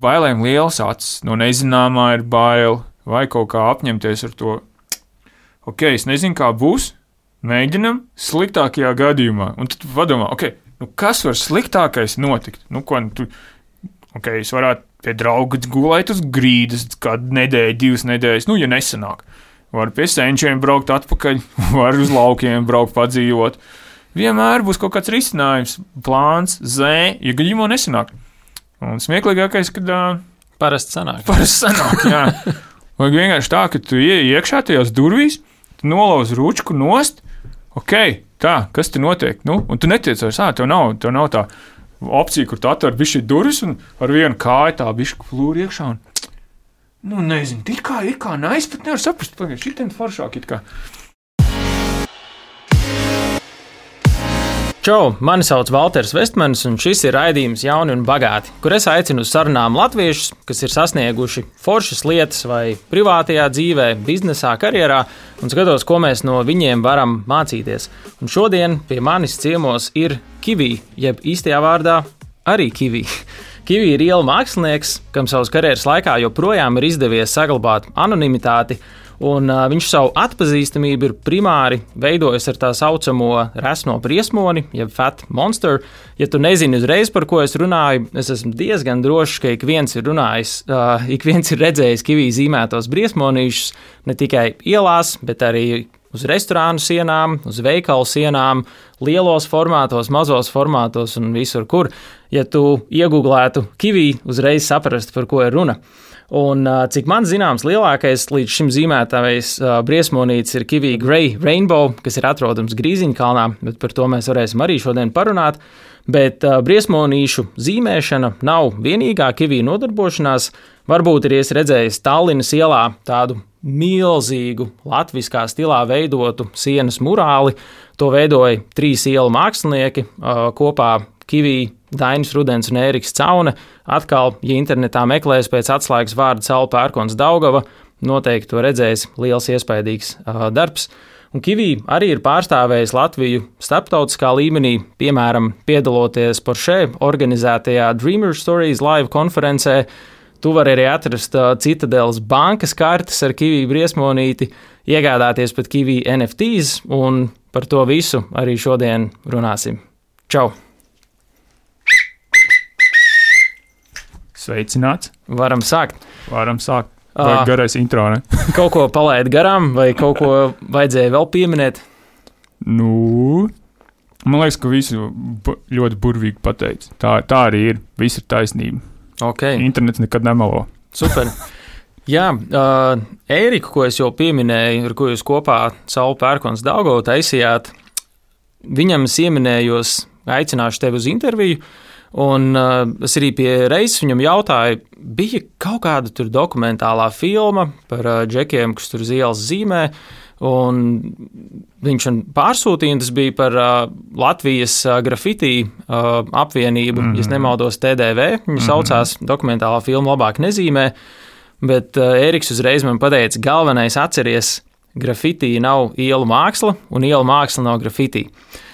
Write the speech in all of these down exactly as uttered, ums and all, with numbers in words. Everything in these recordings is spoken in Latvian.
Bailēm liels acis, no nezināmā ir bail, vai kaut kā apņemties ar to. Ok, es nezinu, kā būs, mēģinam sliktākajā gadījumā. Un tad padomā, ok, nu kas var sliktākais notikt? Nu, ko, nu, tu, ok, es varētu pie drauga gulēt uz grīdas kādu nedēļu, divas nedēļas, nu, ja nesanāk. Var pie senčiem braukt atpakaļ, var uz laukiem braukt padzīvot. Vienmēr būs kaut kāds risinājums, plāns, zē, ja gadījumā nesanāk. Un smieklīgākais, kad uh, parasti sanāk. Parasti sanāk, jā. Vai vienkārši tā, ka tu ieej iekšā tajās durvīs, tu nolauz ručku nost, ok, tā, kas te notiek? Nu, un tu netiec vairs, ā, tev nav, tev nav tā opcija, kur tu atver bišķi durvis un ar vienu kāju tā bišķi plūri iekšā un, nu, nezinu, it kā, it kā, nais, pat nevar saprast, pagaid, šitien foršāk it kā. Čau, mani sauc Valters Vestmanis, un šis ir raidījums Jauni un bagāti, kur es aicinu uz sarunām latviešus, kas ir sasnieguši foršas lietas vai privātajā dzīvē, biznesā, karjerā, un skatos, ko mēs no viņiem varam mācīties. Un šodien pie manis ciemos ir Kivi, jeb īstajā vārdā arī Kivi. Kivi ir ielu mākslinieks, kam savas karjeras laikā joprojām ir izdevies saglabāt anonimitāti, un uh, viņš savu atpazīstamību ir primāri veidojis ar tā saucamo resno briesmoni, jeb fat monster. Ja tu nezini uzreiz, par ko es runāju, es esmu diezgan drošs, ka ik viens ir runājis, uh, ik viens ir redzējis Kivi zīmētos briesmonīšus ne tikai ielās, bet arī uz restorānu sienām, uz veikalu sienām, lielos formātos, mazos formātos un visur, kur. Ja tu iegūglētu Kivi, uzreiz saprast, par ko ir runa. Un, cik man zināms, lielākais līdz šim zīmētājs uh, briesmonītis ir Kivi Grey Rainbow, kas ir atrodams Grīziņkalnā, bet par to mēs varēsim arī šodien parunāt. Bet uh, briesmonīšu zīmēšana nav vienīgā Kivi nodarbošanās. Varbūt ir redzējis Tallinas ielā tādu milzīgu latviskā stilā veidotu sienas murāli. To veidoja trīs ielu mākslinieki uh, kopā Kivi, Dainis Rudens un Ēriks Caune. Atkal, ja internetā meklēs pēc atslēgas vārda Saula Pērkons Daugava, noteikti to redzēs, liels iespaidīgs uh, darbs. Un Kivi arī ir pārstāvējis Latviju starptautiskā līmenī, piemēram, piedaloties Porsche organizētajā Dreamer Stories live konferencē. Tu vari arī atrast uh, Citadeles bankas kartes ar Kivi briesmonīti, iegādāties pat Kivi N F Ts, un par to visu arī šodien runāsim. Čau! Sveicināts. Varam sākt. Varam sākt. Vai garais intro, ne? Kaut ko palaid garām, vai kaut ko vajadzēja vēl pieminēt? Nu, man liekas, ka visu ļoti burvīgi pateic. Tā, tā arī ir. Viss ir taisnība. Okay. Internets nekad nemelo. Super. Jā, uh, Ēriku, ko es jau pieminēju, ar ko jūs kopā Saula Pērkons Daugavu taisījāt, viņam es ieminējos, aicināšu tevi uz interviju. Un uh, es arī pie reizes viņam jautāju, bija kaut kāda tur dokumentālā filma par uh, džekiem, kas tur uz ielas zīmē, un viņš man pārsūtīja, un tas bija par uh, Latvijas uh, grafiti uh, apvienību, mm-hmm. ja es nemaldos T D V, viņa mm-hmm. saucās dokumentālā filma Labāk nezīmē, bet uh, Ēriks uzreiz man pateica, galvenais atceries, grafiti nav ielu māksla, un ielu māksla nav grafiti.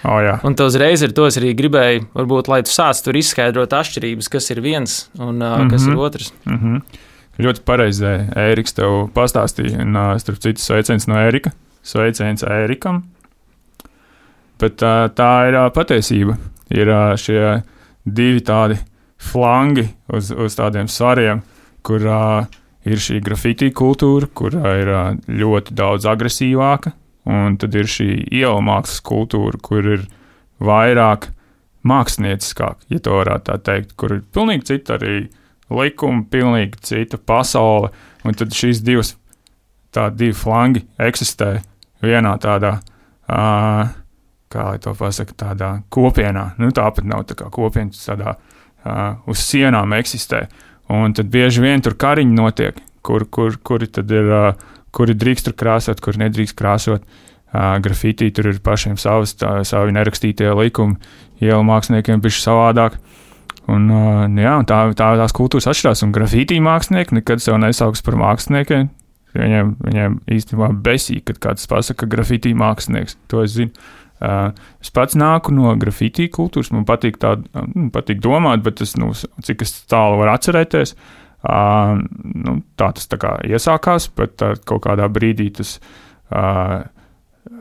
Oh, jā. Un to uzreiz ar to es arī gribēju, varbūt, lai tu sāc tur izskaidrot atšķirības, kas ir viens un uh, mm-hmm. kas ir otrs. Mm-hmm. Ļoti pareizi Ēriks tev pastāstīja, un uh, starp citu sveiciens no Ērika, sveiciens Ērikam. Bet uh, tā ir uh, patiesība. Ir uh, šie divi tādi flangi uz, uz tādiem svariem, kur uh, ir šī grafiti kultūra, kurā ir uh, ļoti daudz agresīvāka. Un tad ir šī ielu mākslas kultūra, kur ir vairāk mākslinieckāk, ja to varētu tā teikt, kur ir pilnīgi cita arī likuma, pilnīgi cita pasaule. Un tad šīs divas, tā divi flangi eksistē vienā tādā, uh, kā lai to pasaka, tādā kopienā. Nu, tāpat nav tā kā kopienas tādā uh, uz sienām eksistē. Un tad bieži vien tur kariņi notiek, kur, kur, kuri tad ir... Uh, kuri drīkst tur krāsot, kuri nedrīkst krāsot. Uh, grafiti tur ir pašiem savas, tā, savi nerakstītie likumi, ielu māksliniekiem bišķi savādāk. Un, uh, jā, un tā, tā tās kultūras atšķirās, un grafiti mākslinieki nekad sev nesauks par māksliniekiem. Viņiem, viņiem īstenībā besī, kad kāds pasaka grafiti mākslinieks. To es zinu. Uh, es pats nāku no grafitī kultūras, man patīk tā, nu, patīk domāt, bet tas, nu, cik es tālu var atcerēties, uh, nu, tā tas tā kā iesākās, bet uh, kaut kādā brīdī tas uh,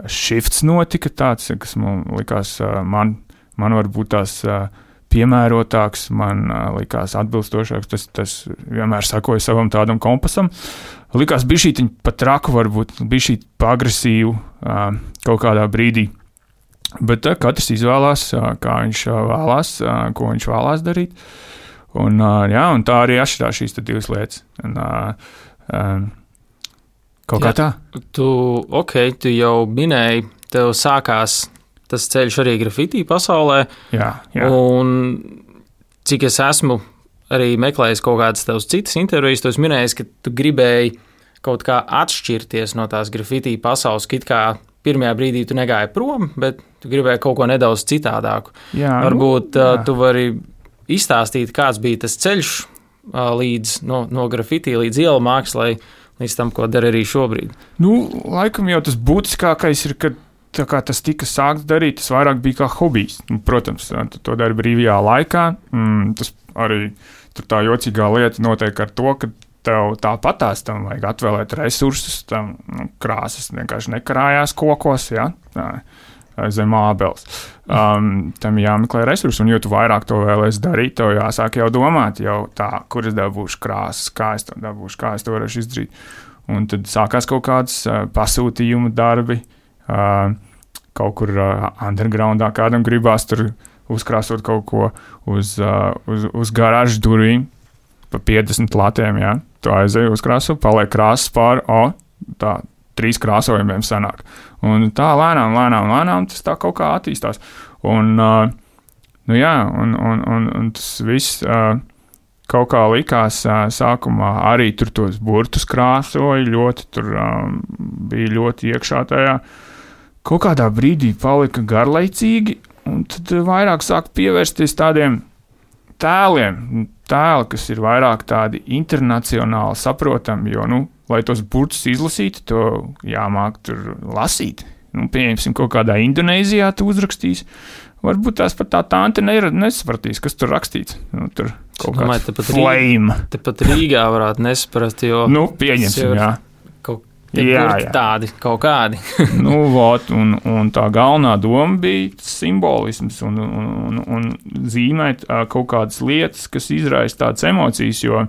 shifts notika tāds, kas man likās, uh, man, man varbūt tās uh, piemērotāks, man uh, likās atbilstošāks, tas, tas vienmēr sakoja savam tādam kompasam. Likās bišķīt pat traku, varbūt bišķīt pa agresīvu uh, kaut kādā brīdī. Bet uh, katrs izvēlās, uh, kā viņš uh, vēlās, uh, ko viņš vēlās darīt. Un, uh, jā, un tā arī atšķirās šīs divas lietas. Un, uh, um, kaut jā, kā tā. Tu, ok, tu jau minēji, tev sākās tas ceļš arī grafitī pasaulē. Jā, jā. Un cik es esmu arī meklējis kaut kādas tavas citas intervijas, tu esi minējis, ka tu gribēji kaut kā atšķirties no tās grafitī pasaules, ka it kā pirmajā brīdī tu negāji prom, bet tu gribēji kaut ko nedaudz citādāku. Jā, Varbūt nu, jā. tu vari izstāstīt, kāds bija tas ceļš līdz, no, no grafitī līdz ielu mākslai, līdz tam, ko dara arī šobrīd. Nu, laikam jau tas būtiskākais ir, ka tā kā tas tika sākts darīt, tas vairāk bija kā hobijs. Nu, protams, tu to dari brīvajā laikā. Mm, tas arī tur tā jocīgā lieta notiek ar to, ka tev tāpatās tam vajag atvēlēt resursus, tam nu, krāsas vienkārši nekarājās kokos, ja, tā, zem ābeles. Um, tam jāmeklē resursi, un jo tu vairāk to vēlēsi darīt, tev jāsāk jau domāt, jau tā, kur es dabūšu krāsas, kā es to dabūšu, kā es to varēšu izdarīt. Un tad sākās kaut kādas uh, pasūtījumu darbi, uh, kaut kur uh, undergroundā kādam gribās tur uzkrāsot kaut ko uz, uh, uz, uz garāžu durvīm, pa piecdesmit latiem, jā. Tu aizēji uzkrāso, paliek krāsas pāri, o, tā, trīs krāsojumiem sanāk. Un tā lēnām, lēnām, lēnām tas tā kaut kā attīstās. Un, uh, nu jā, un, un, un, un tas viss uh, kaut kā likās uh, sākumā arī tur tos burtus krāsoja, ļoti tur um, bija ļoti iekšā tajā. Kaut kādā brīdī palika garlaicīgi, un tad vairāk sāk pievērsties tādiem tēliem, tēli, kas ir vairāk tādi internacionāli saprotami, jo, nu, lai tos burtus izlasītu, to jāmāk tur lasīt. Nu, pieņemsim, kaut kādā Indonēzijā tu uzrakstīs, varbūt tās pat tā tante nesapratīs, kas tur rakstīts. Nu, tur kaut domāju, kāds flame. Tepat Rīgā varētu nesaprast, jo... Nu, pieņemsim, jā. Jā, jā. Tādi, kaut kādi. nu, vot, un, un tā galvenā doma bija simbolisms un, un, un, un zīmēt uh, kaut kādas lietas, kas izraisa tādas emocijas, jo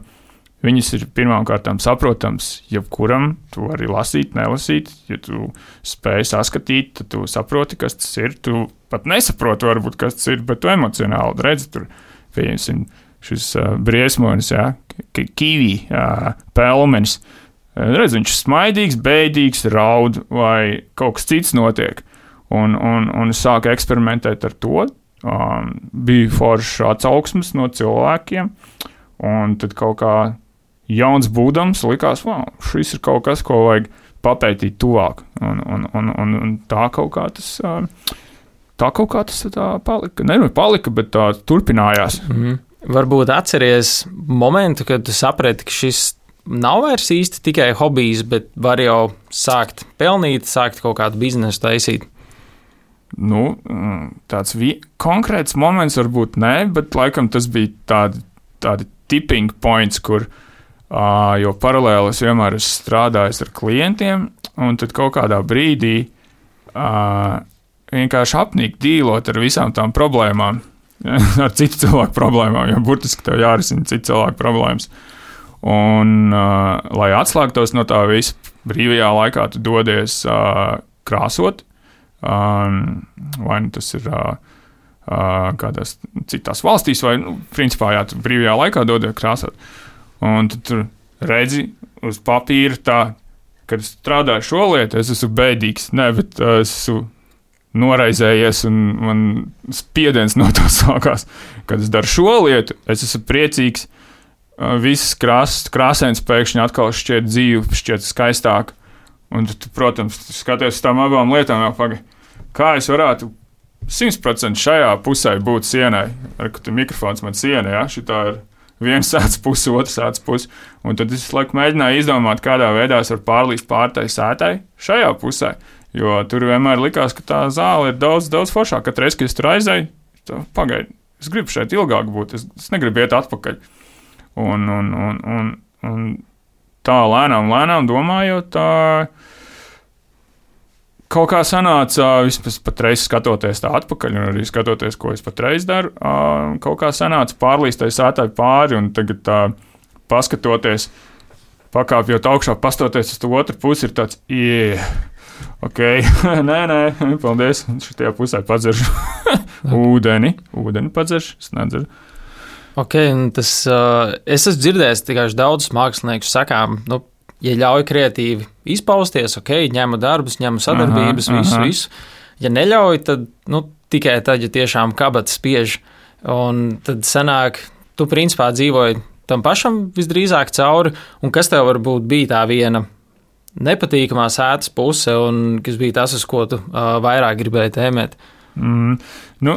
viņas ir pirmām kārtām saprotams jebkuram, tu vari lasīt, nelasīt, ja tu spēj saskatīt, tad tu saproti, kas tas ir, tu pat nesaproti varbūt, kas tas ir, bet tu emocionāli redzi tur, pieņemsim, šis uh, briesmonis, jā, kiwi, uh, pelmenis. Redz, viņš ir smaidīgs, bēdīgs, raud vai kaut kas cits notiek. Un, un, un es sāku eksperimentēt ar to. Um, bija foršs atsauksmes no cilvēkiem. Un tad kaut kā jauns būdams likās, wow, šis ir kaut kas, ko vajag papētīt tuvāk. Un, un, un, un, un tā kaut kā tas, tā kaut kā tas tā palika. Ne, palika, bet tā turpinājās. Mm. Varbūt atceries momentu, kad tu saprati, ka šis nav vairs īsti tikai hobijs, bet var jau sākt pelnīt, sākt kaut kādu biznesu taisīt. Nu, tāds vi- konkrēts moments varbūt nē, bet laikam tas bija tādi, tādi tipping points, kur, uh, jo paralēli es vienmēr esmu strādājis ar klientiem, un tad kaut kādā brīdī uh, vienkārši apnīk dīlot ar visām tām problēmām, ar citu cilvēku problēmām, jo burtiski tev jārisina citu cilvēku problēmas. Un, uh, lai atslēgtos no tā visa, brīvajā laikā tu dodies uh, krāsot, um, vai nu tas ir uh, uh, kādās citās valstīs, vai, nu, principā, jā, tu brīvajā laikā dodies krāsot. Un tu tur redzi uz papīra tā, kad es strādāju šo lietu, es esmu bēdīgs, ne, bet uh, es esmu noraizējies un man spiediens no tā sākās. Kad es daru šo lietu, es esmu priecīgs, visas krāsas, krāsēns pēkšņi atkal šķiet dzīve, šķiet skaistāk. Un tu, protams, skaties uz tām abām lietām, jau paga, kā es varētu simt procenti šajā pusē būt sienai. Ar ka tu mikrofons man siena, ja? Šitā ir viens sēdz pusi, otrs sēdz pusi. Un tad es laiku mēģināju izdomāt, kādā veidā es varu pārlīst pārtai sētai šajā pusē. Jo tur vienmēr likās, ka tā zāle ir daudz, daudz foršāka. Katru reizi, kad es tur aizēju, pagaidi, es gribu šeit ilgāk būt, es, es negribu iet atpakaļ. Un, un, un, un, un tā lēnām, lēnām domājot, tā kaut kā sanāca, vismaz patreiz skatoties tā atpakaļ, un arī skatoties, ko es patreiz daru, kaut kā sanāca pārlīstai sētai pāri, un tagad tā paskatoties, pakāpjot augšā, pastoties uz to otru pusi, ir tāds, yeah, ok, nē, nē, paldies, šitajā pusē padzeršu ūdeni, ūdeni padzeršu, es nedzeru. Ok, un tas, uh, es esmu dzirdējis tikai daudzus māksliniekus sakām, nu, ja ļauj kreatīvi izpausties, ok, ņemu darbus, ņemu sadarbības, aha, visu, aha. visu. Ja neļauj, tad, nu, tikai tad, ja tiešām kabats spiež, un tad sanāk, tu principā dzīvoji tam pašam visdrīzāk cauri, un kas tev varbūt bija tā viena nepatīkamā sētas puse, un kas bija tas, uz ko tu uh, vairāk gribēji tēmēt? Mm, nu,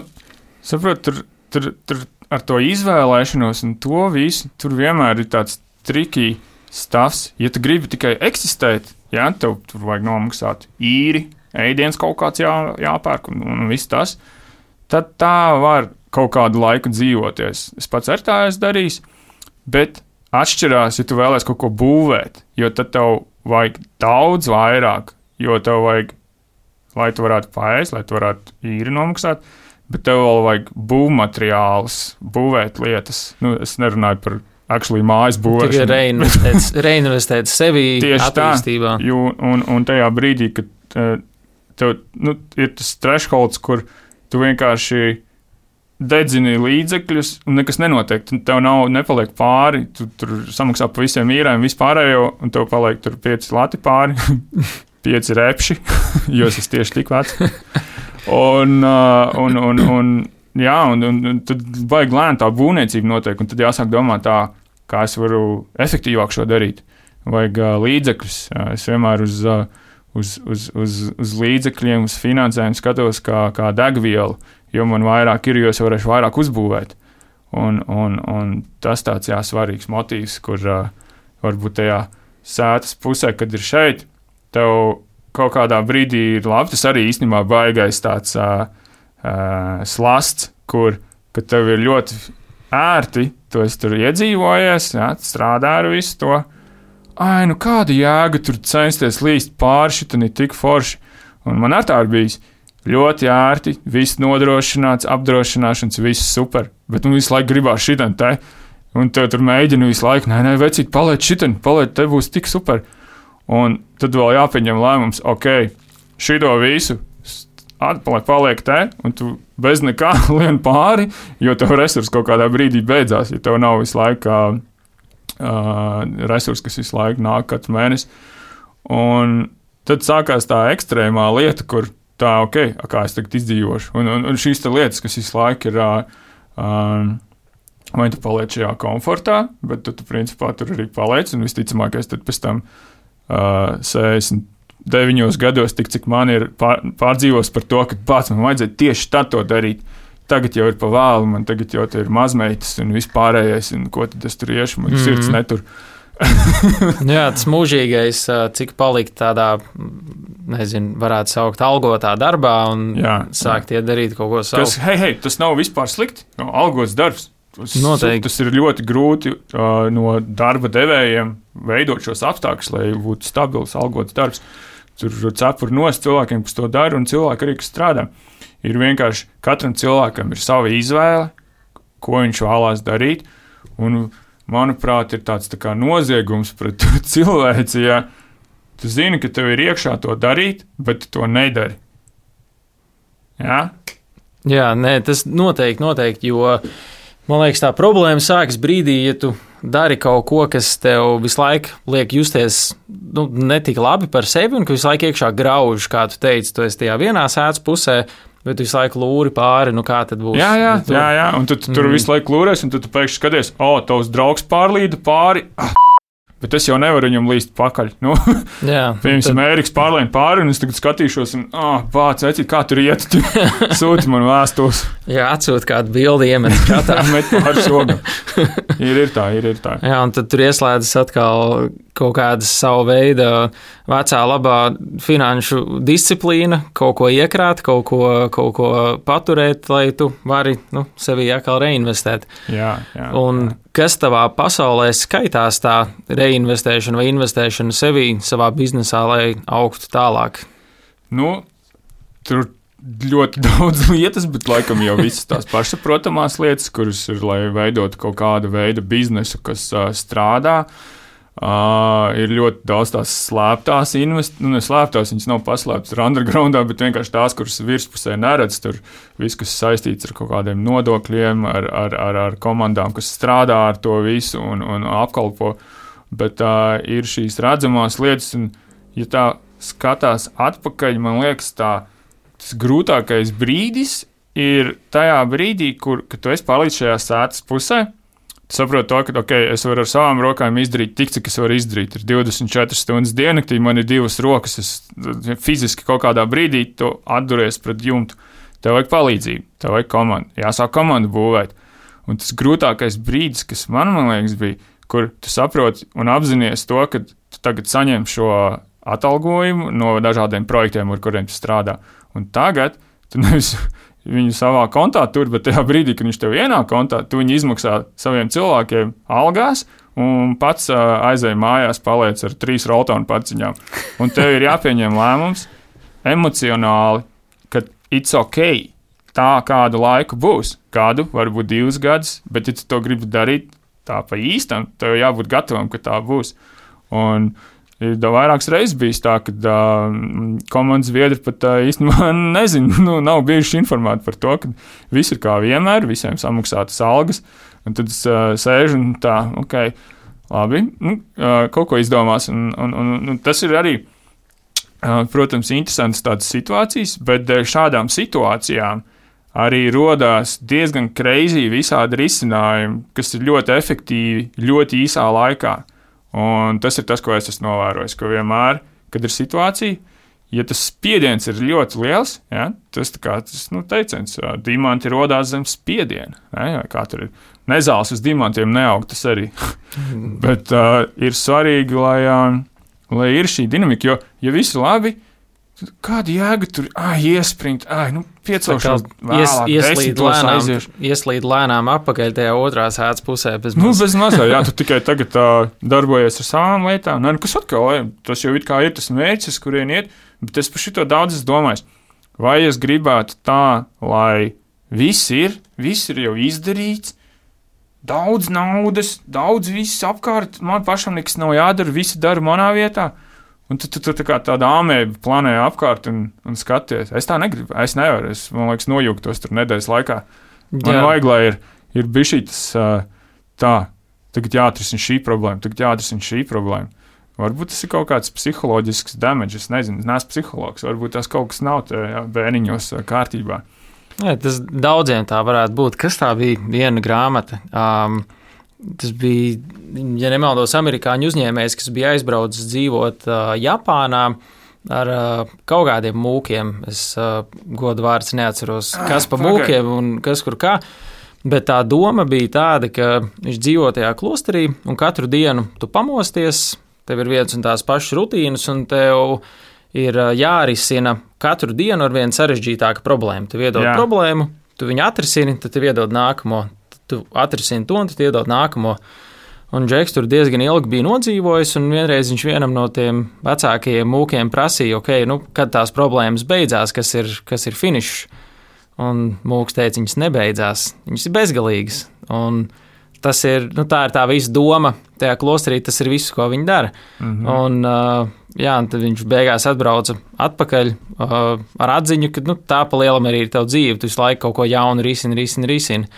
saprot, tur, tur, tur ar to izvēlēšanos un to visu, tur vienmēr ir tāds tricky stāvs. Ja tu gribi tikai eksistēt, jā, tev tur vajag nomaksāt īri, ēdiens kaut kāds jā, jāpērk un, un viss tas, tad tā var kaut kādu laiku dzīvoties. Es pats ar tā esmu darījis, bet atšķirās, ja tu vēlies kaut ko būvēt, jo tad tev vajag daudz vairāk, jo tev vajag, lai tu varētu paēst, lai tu varētu īri nomaksāt, bet tev vēl vajag būvmateriālus, būvēt lietas. Nu, es nerunāju par actually mājas būvēšanu. Tikai reinvestēt sevi attīstībā. Tieši tā, un, un tajā brīdī, kad tev nu, ir tas thresholds, kur tu vienkārši dedzini līdzekļus, un nekas nenotiek. Tev nav, nepaliek pāri, tu tur samaksā pa visiem īrēm, vispārējo, un tev paliek tur pieci lati pāri, pieci repši, jo es esmu tieši tik vecs. Un, un, un, un, jā, un, un, un tad vajag lēni tā būvniecība notiek, un tad jāsāk domāt tā, kā es varu efektīvāk šo darīt. Vajag uh, līdzekļus. Es vienmēr uz, uh, uz, uz, uz, uz līdzekļiem, uz finansējumu skatos kā, kā degvielu, jo man vairāk ir, jo es varēšu vairāk uzbūvēt. Un, un, un tas tāds, jā, svarīgs motīvs, kur uh, varbūt tajā sētas pusē, kad ir šeit, tev kaut kādā brīdī ir labi, tas arī īstenībā baigais tāds uh, uh, slasts, kur, kad tev ir ļoti ērti, tu esi tur iedzīvojies, jā, strādā ar visu to. Ai, nu kāda jēga tur censties līst pāri, šitam ir tik forši. Un man ar tā ir bijis ļoti ērti, viss nodrošināts, apdrošināšanas, viss super, bet nu visu laiku gribās šitam te, un tev tur mēģina visu laiku, nē, nē, vecīt, paliec šitam, paliec, te būs tik super. Un tad vēl jāpieņem lēmums, ok, šito visu atpaliek, paliek te, un tu bez nekā lien pāri, jo tev resursi kaut kādā brīdī beidzās, ja tev nav visu laiku uh, resursi, kas visu laiku nāk katru mēnesi. Un tad sākās tā ekstrēmā lieta, kur tā, ok, kā es tagad izdzīvošu. Un, un, un šīs tā lietas, kas visu laiku ir, uh, uh, vai tu paliec šajā komfortā, bet tu, tu principā tur arī paliec, un visticamākais tad pēc tam Uh, sešdesmit deviņos gados, tik cik man ir pār, pārdzīvos par to, ka pats man vajadzēja tieši tad to darīt. Tagad jau ir pa vēlu, man tagad jau ir mazmeitas un vispārējais, un ko tad es tur iešu, man mm. sirds netur. Jā, tas mūžīgais, cik palikt tādā, nezinu, varētu saukt algotā darbā un jā, sākt iet darīt kaut ko savu. Kas, hei, hei, tas nav vispār slikti, no, algots darbs. Tas, Noteikti. Tas ir ļoti grūti uh, no darba devējiem veidot šos apstākļus, lai būtu stabils, algots darbs. Tur cepur nost cilvēkiem, kas to dara, un cilvēki arī, kas strādā. Ir vienkārši katram cilvēkam ir sava izvēle, ko viņš vēlās darīt, un, manuprāt, ir tāds tā kā noziegums pret cilvēci, ja tu zini, ka tev ir iekšā to darīt, bet tu to nedari. Jā? Jā, nē, tas noteikti, noteikti, jo man liekas, tā problēma sākas brīdī, ja tu dari kaut ko, kas tev visu laiku liek justies nu, netik labi par sevi, un ka visu laiku iekšā grauž, kā tu teici, tu esi tajā vienā sēdz pusē, bet tu visu laiku lūri pāri, nu kā tad būs? Jā, jā, tu... jā, jā. Un tu, tu tur mm. visu laiku lūries, un tu, tu pēkšņi skaties, o, tavs draugs pārlīda pāri, ah, bet es jau nevaru viņam līst pakaļ. Nu, piemēram, tad... Ēriks pārlēna pāri, un es tagad skatīšos, un, ah, bāc, vecīt, kā tur iet, tu sūti man vēstules. Jā, atsūt kādu bildi, iemet čatā. Met pār šogam. Ir, ir tā, ir, ir tā. Jā, un tad tur ieslēdzas atkal kaut kāda savu veidu vecā labā finanšu disciplīna, kaut ko iekrāt, kaut ko, kaut ko paturēt, lai tu vari nu, sevi atkal reinvestēt. Jā, jā. Un jā. kas tavā pasaulē skaitās tā reinvestēšana vai investēšana sevī, savā biznesā, lai augtu tālāk? Nu, tur ļoti daudz lietas, bet laikam jau visas tās pašsaprotamās lietas, kuras ir, lai veidotu kaut kādu veidu biznesu, kas uh, strādā. Uh, ir ļoti daudz tās slēptās investīcijas, nu, ne slēptās, viņas nav paslēptas ar undergroundā, bet vienkārši tās, kuras virspusē neredz, tur viss, kas saistīts ar kaut kādiem nodokļiem, ar, ar, ar, ar komandām, kas strādā ar to visu un, un apkalpo. Bet uh, ir šīs redzamās lietas, un ja tā skatās atpakaļ, man liekas, tā tas grūtākais brīdis ir tajā brīdī, kur, kad tu esi pārlīdz šajā sētas pusē, tu saproti to, ka, ok, es varu ar savām rokām izdarīt tik, cik es varu izdarīt. Ir divdesmit četras stundas diennaktī, man ir divas rokas, es fiziski kaut kādā brīdī tu atduries pret jumtu. Tev vajag palīdzību, tev vajag komandu, jāsāk komandu būvēt. Un tas grūtākais brīdis, kas man, man liekas, bija, kur tu saproti un apzinies to, ka tu tagad saņem šo atalgojumu no dažādiem projektiem, ar kuriem tu strādā. Un tagad tu nevis viņu savā kontā tur, bet tajā brīdī, kad viņš tev ienāk kontā, tu viņu izmaksā saviem cilvēkiem algās un pats uh, aizēj mājās, paliec ar trīs roltonu paciņām. Un tev ir jāpieņem lēmums emocionāli, ka it's ok, tā kādu laiku būs, kādu, varbūt divus gadus, bet ja tu to gribi darīt tā pa īstam, tev jābūt gatavam, ka tā būs. Un ir vairākas reizes bijis tā, ka uh, komandas biedri pat uh, īstenībā nezinu, nu, nav bijuši informēti par to, ka viss ir kā vienmēr, visiem samaksātas algas, un tad es uh, sēžu un tā, ok, labi, nu, uh, kaut ko izdomās, un, un, un, un tas ir arī, uh, protams, interesants tādas situācijas, bet dēļ šādām situācijām arī rodās diezgan crazy visādi risinājumi, kas ir ļoti efektīvi, ļoti īsā laikā. Un tas ir tas, ko es esmu novērojis, ka vienmēr, kad ir situācija, ja tas spiediens ir ļoti liels, ja, tas tā kā tas, nu, teiciens, diamanti rodās zem spiediena, ne, kā tur ir, nezāles uz diamantiem neaug, tas arī, bet uh, ir svarīgi, lai, uh, lai ir šī dinamika, jo, ja viss ir labi, kāda jēga tur, ai, iespringt, ai, nu, piecelšos vēlāk, desmitos aiziešu. Ieslīd lēnām apakaļ tajā otrā sētas pusē. Bez nu, bez mazā, jā, tu tikai tagad uh, darbojies ar savām lietām. Nē, nu, kas atkal, tas jau it kā ir tas mērķis, kurien iet, bet es par šito daudz esmu domājis. Vai es gribētu tā, lai viss ir, viss ir jau izdarīts, daudz naudas, daudz viss apkārt, man pašam nekas nav jādara, visi dara manā vietā. Un tu, tu, tu tā kā tāda āmēba planē apkārt un, un skaties. Es tā negribu, es nevaru, es, man liekas, nojūgtos tur nedēļas laikā. Man Jā. vajag, lai ir, ir bišķi tas tā, tagad jāatrisina šī problēma, tagad jāatrisina šī problēma. Varbūt tas ir kaut kāds psiholoģisks damage, es nezinu, es neesmu psihologs, varbūt tas kaut kas nav tajā bērniņos kārtībā. Jā, tas daudziem tā varētu būt. Kas tā bija viena grāmata? Um, Tas bija, ja nemaldos, amerikāņu uzņēmējs, kas bija aizbraucis dzīvot uh, Japānā ar uh, kaut kādiem mūkiem. Es uh, godu vārds neatceros, kas pa mūkiem un kas kur kā. Bet tā doma bija tāda, ka viņš dzīvo tajā klosterī un katru dienu tu pamosties, tev ir viens un tās pašas rutīnas un tev ir uh, jārisina katru dienu ar vienu sarežģītāku problēmu. Tev iedod Jā. problēmu, tu viņu atrisini, tad tev iedod nākamo. Tu atrisini to, un tad iedod nākamo. Un Džeks tur diezgan ilgi bija nodzīvojis, un vienreiz viņš vienam no tiem vecākajiem mūkiem prasīja, ok, nu, kad tās problēmas beidzās, kas ir, kas ir finišs. Un mūks teica, viņas nebeidzās, viņas ir bezgalīgas. Un tas ir, nu, tā ir tā visa doma, tajā klosterī tas ir viss, ko viņi dara. Mm-hmm. Un, uh, jā, un tad viņš beigās atbrauca atpakaļ uh, ar atziņu, ka, nu, tā pa lielam arī ir tavu dzīve, tu visu laiku kaut ko jaunu risini, risini, risini.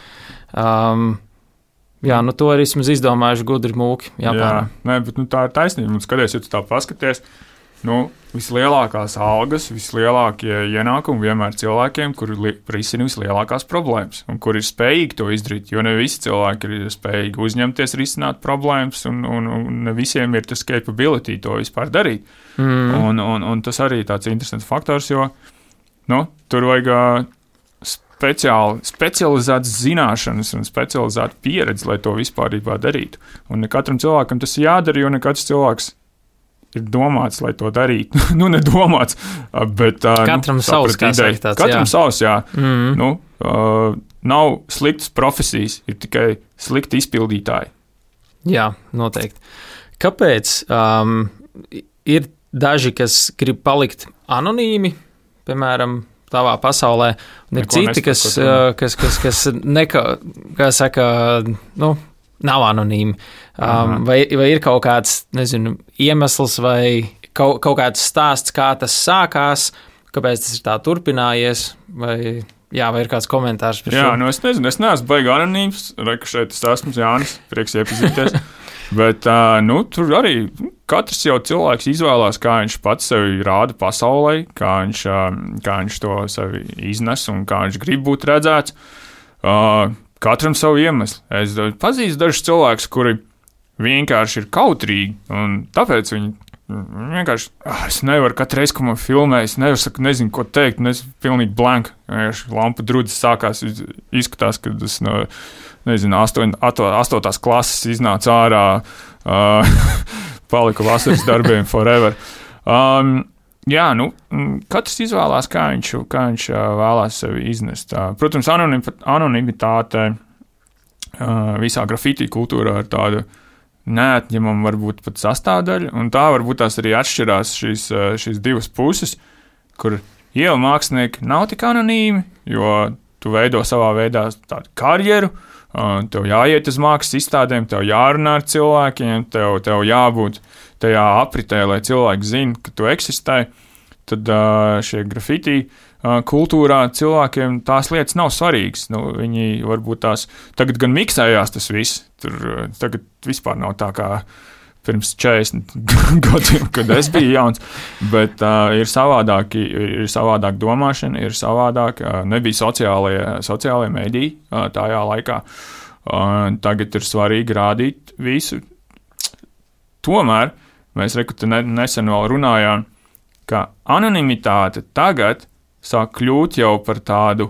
Um, jā, nu to arī esmu izdomājuši gudri mūki Japānā. Jā, nē, bet nu, tā ir taisnība. Un skaties, ja tu tā paskaties, nu, vislielākās algas, vislielākie ienākumi vienmēr cilvēkiem, kuri li- risina vislielākās problēmas un kuri ir spējīgi to izdarīt, jo ne visi cilvēki ir spējīgi uzņemties risināt problēmas un, un, un ne visiem ir tas capability to vispār darīt. Mm. Un, un, un tas arī tāds interesants faktors, jo, nu, tur vajag speciāli, specializētas zināšanas un specializēta pieredze, lai to vispārībā darītu. Un ne katram cilvēkam tas ir jādara, jo ne katrs cilvēks ir domāts, lai to darītu. nu, nedomāts, bet... Katram nu, savs, kā saka tāds, Katram jā. savs, jā. Mm. Nu, uh, nav sliktas profesijas, ir tikai slikti izpildītāji. Jā, noteikti. Kāpēc um, ir daži, kas grib palikt anonīmi, piemēram, tavā pasaulē, un ir Neko citi, kas, kas, kas, kas neka, kā saka, nu, nav anonīmi. Um, vai, vai ir kaut kāds, nezinu, iemesls vai kaut, kaut kāds stāsts, kā tas sākās, kāpēc tas ir tā turpinājies, vai, jā, vai ir kāds komentārs par šo? Jā, nu es nezinu, es neesmu baigi anonīms, reku šeit es esmu Jānis, prieks iepazīties. Bet uh, nu, tur arī katrs jau cilvēks izvēlās, kā viņš pats sevi rāda pasaulē, kā viņš, uh, kā viņš to sevi iznes un kā viņš grib būt redzēts. Uh, katram savu iemeslu. Es pazīstu dažus cilvēkus, kuri vienkārši ir kautrīgi, un tāpēc viņi vienkārši, ah, es nevaru katru reizi, ko man filmē, es nevaru, saku, nezinu, ko teikt, un es pilnīgi blank. Lampa drudzes sākās, izskatās, kad es no, nezinu, astoņ, astotās klases iznāca ārā, uh, paliku vasaras darbiem forever. Um, jā, nu, katrs izvēlās, kā viņš, kā viņš uh, vēlās sevi iznest. Uh, protams, anonim, anonimitāte uh, visā grafiti kultūrā ir tāda neatņemama varbūt pat sastāvdaļa, un tā varbūt tās arī atšķirās šīs, šīs divas puses, kur ielu mākslinieki nav tik anonīmi, jo tu veido savā veidā tādu karjeru, tev jāiet uz mākslas izstādēm, tev jārunā ar cilvēkiem, tev, tev jābūt tajā apritē, lai cilvēki zina, ka tu eksistē, tad šie grafiti kultūrā cilvēkiem tās lietas nav svarīgas. Nu, viņi varbūt tās tagad gan miksējās tas viss. Tur tagad vispār nav tā kā pirms četrdesmit gadiem, kad es biju jauns. Bet uh, ir savādāk, ir savādāk domāšana, ir savādāk. Uh, nebija sociālie, sociālie mediji uh, tajā laikā. Uh, tagad ir svarīgi rādīt visu. Tomēr mēs reku, ne, nesen vēl runājām, ka anonimitāte tagad sāk kļūt jau par tādu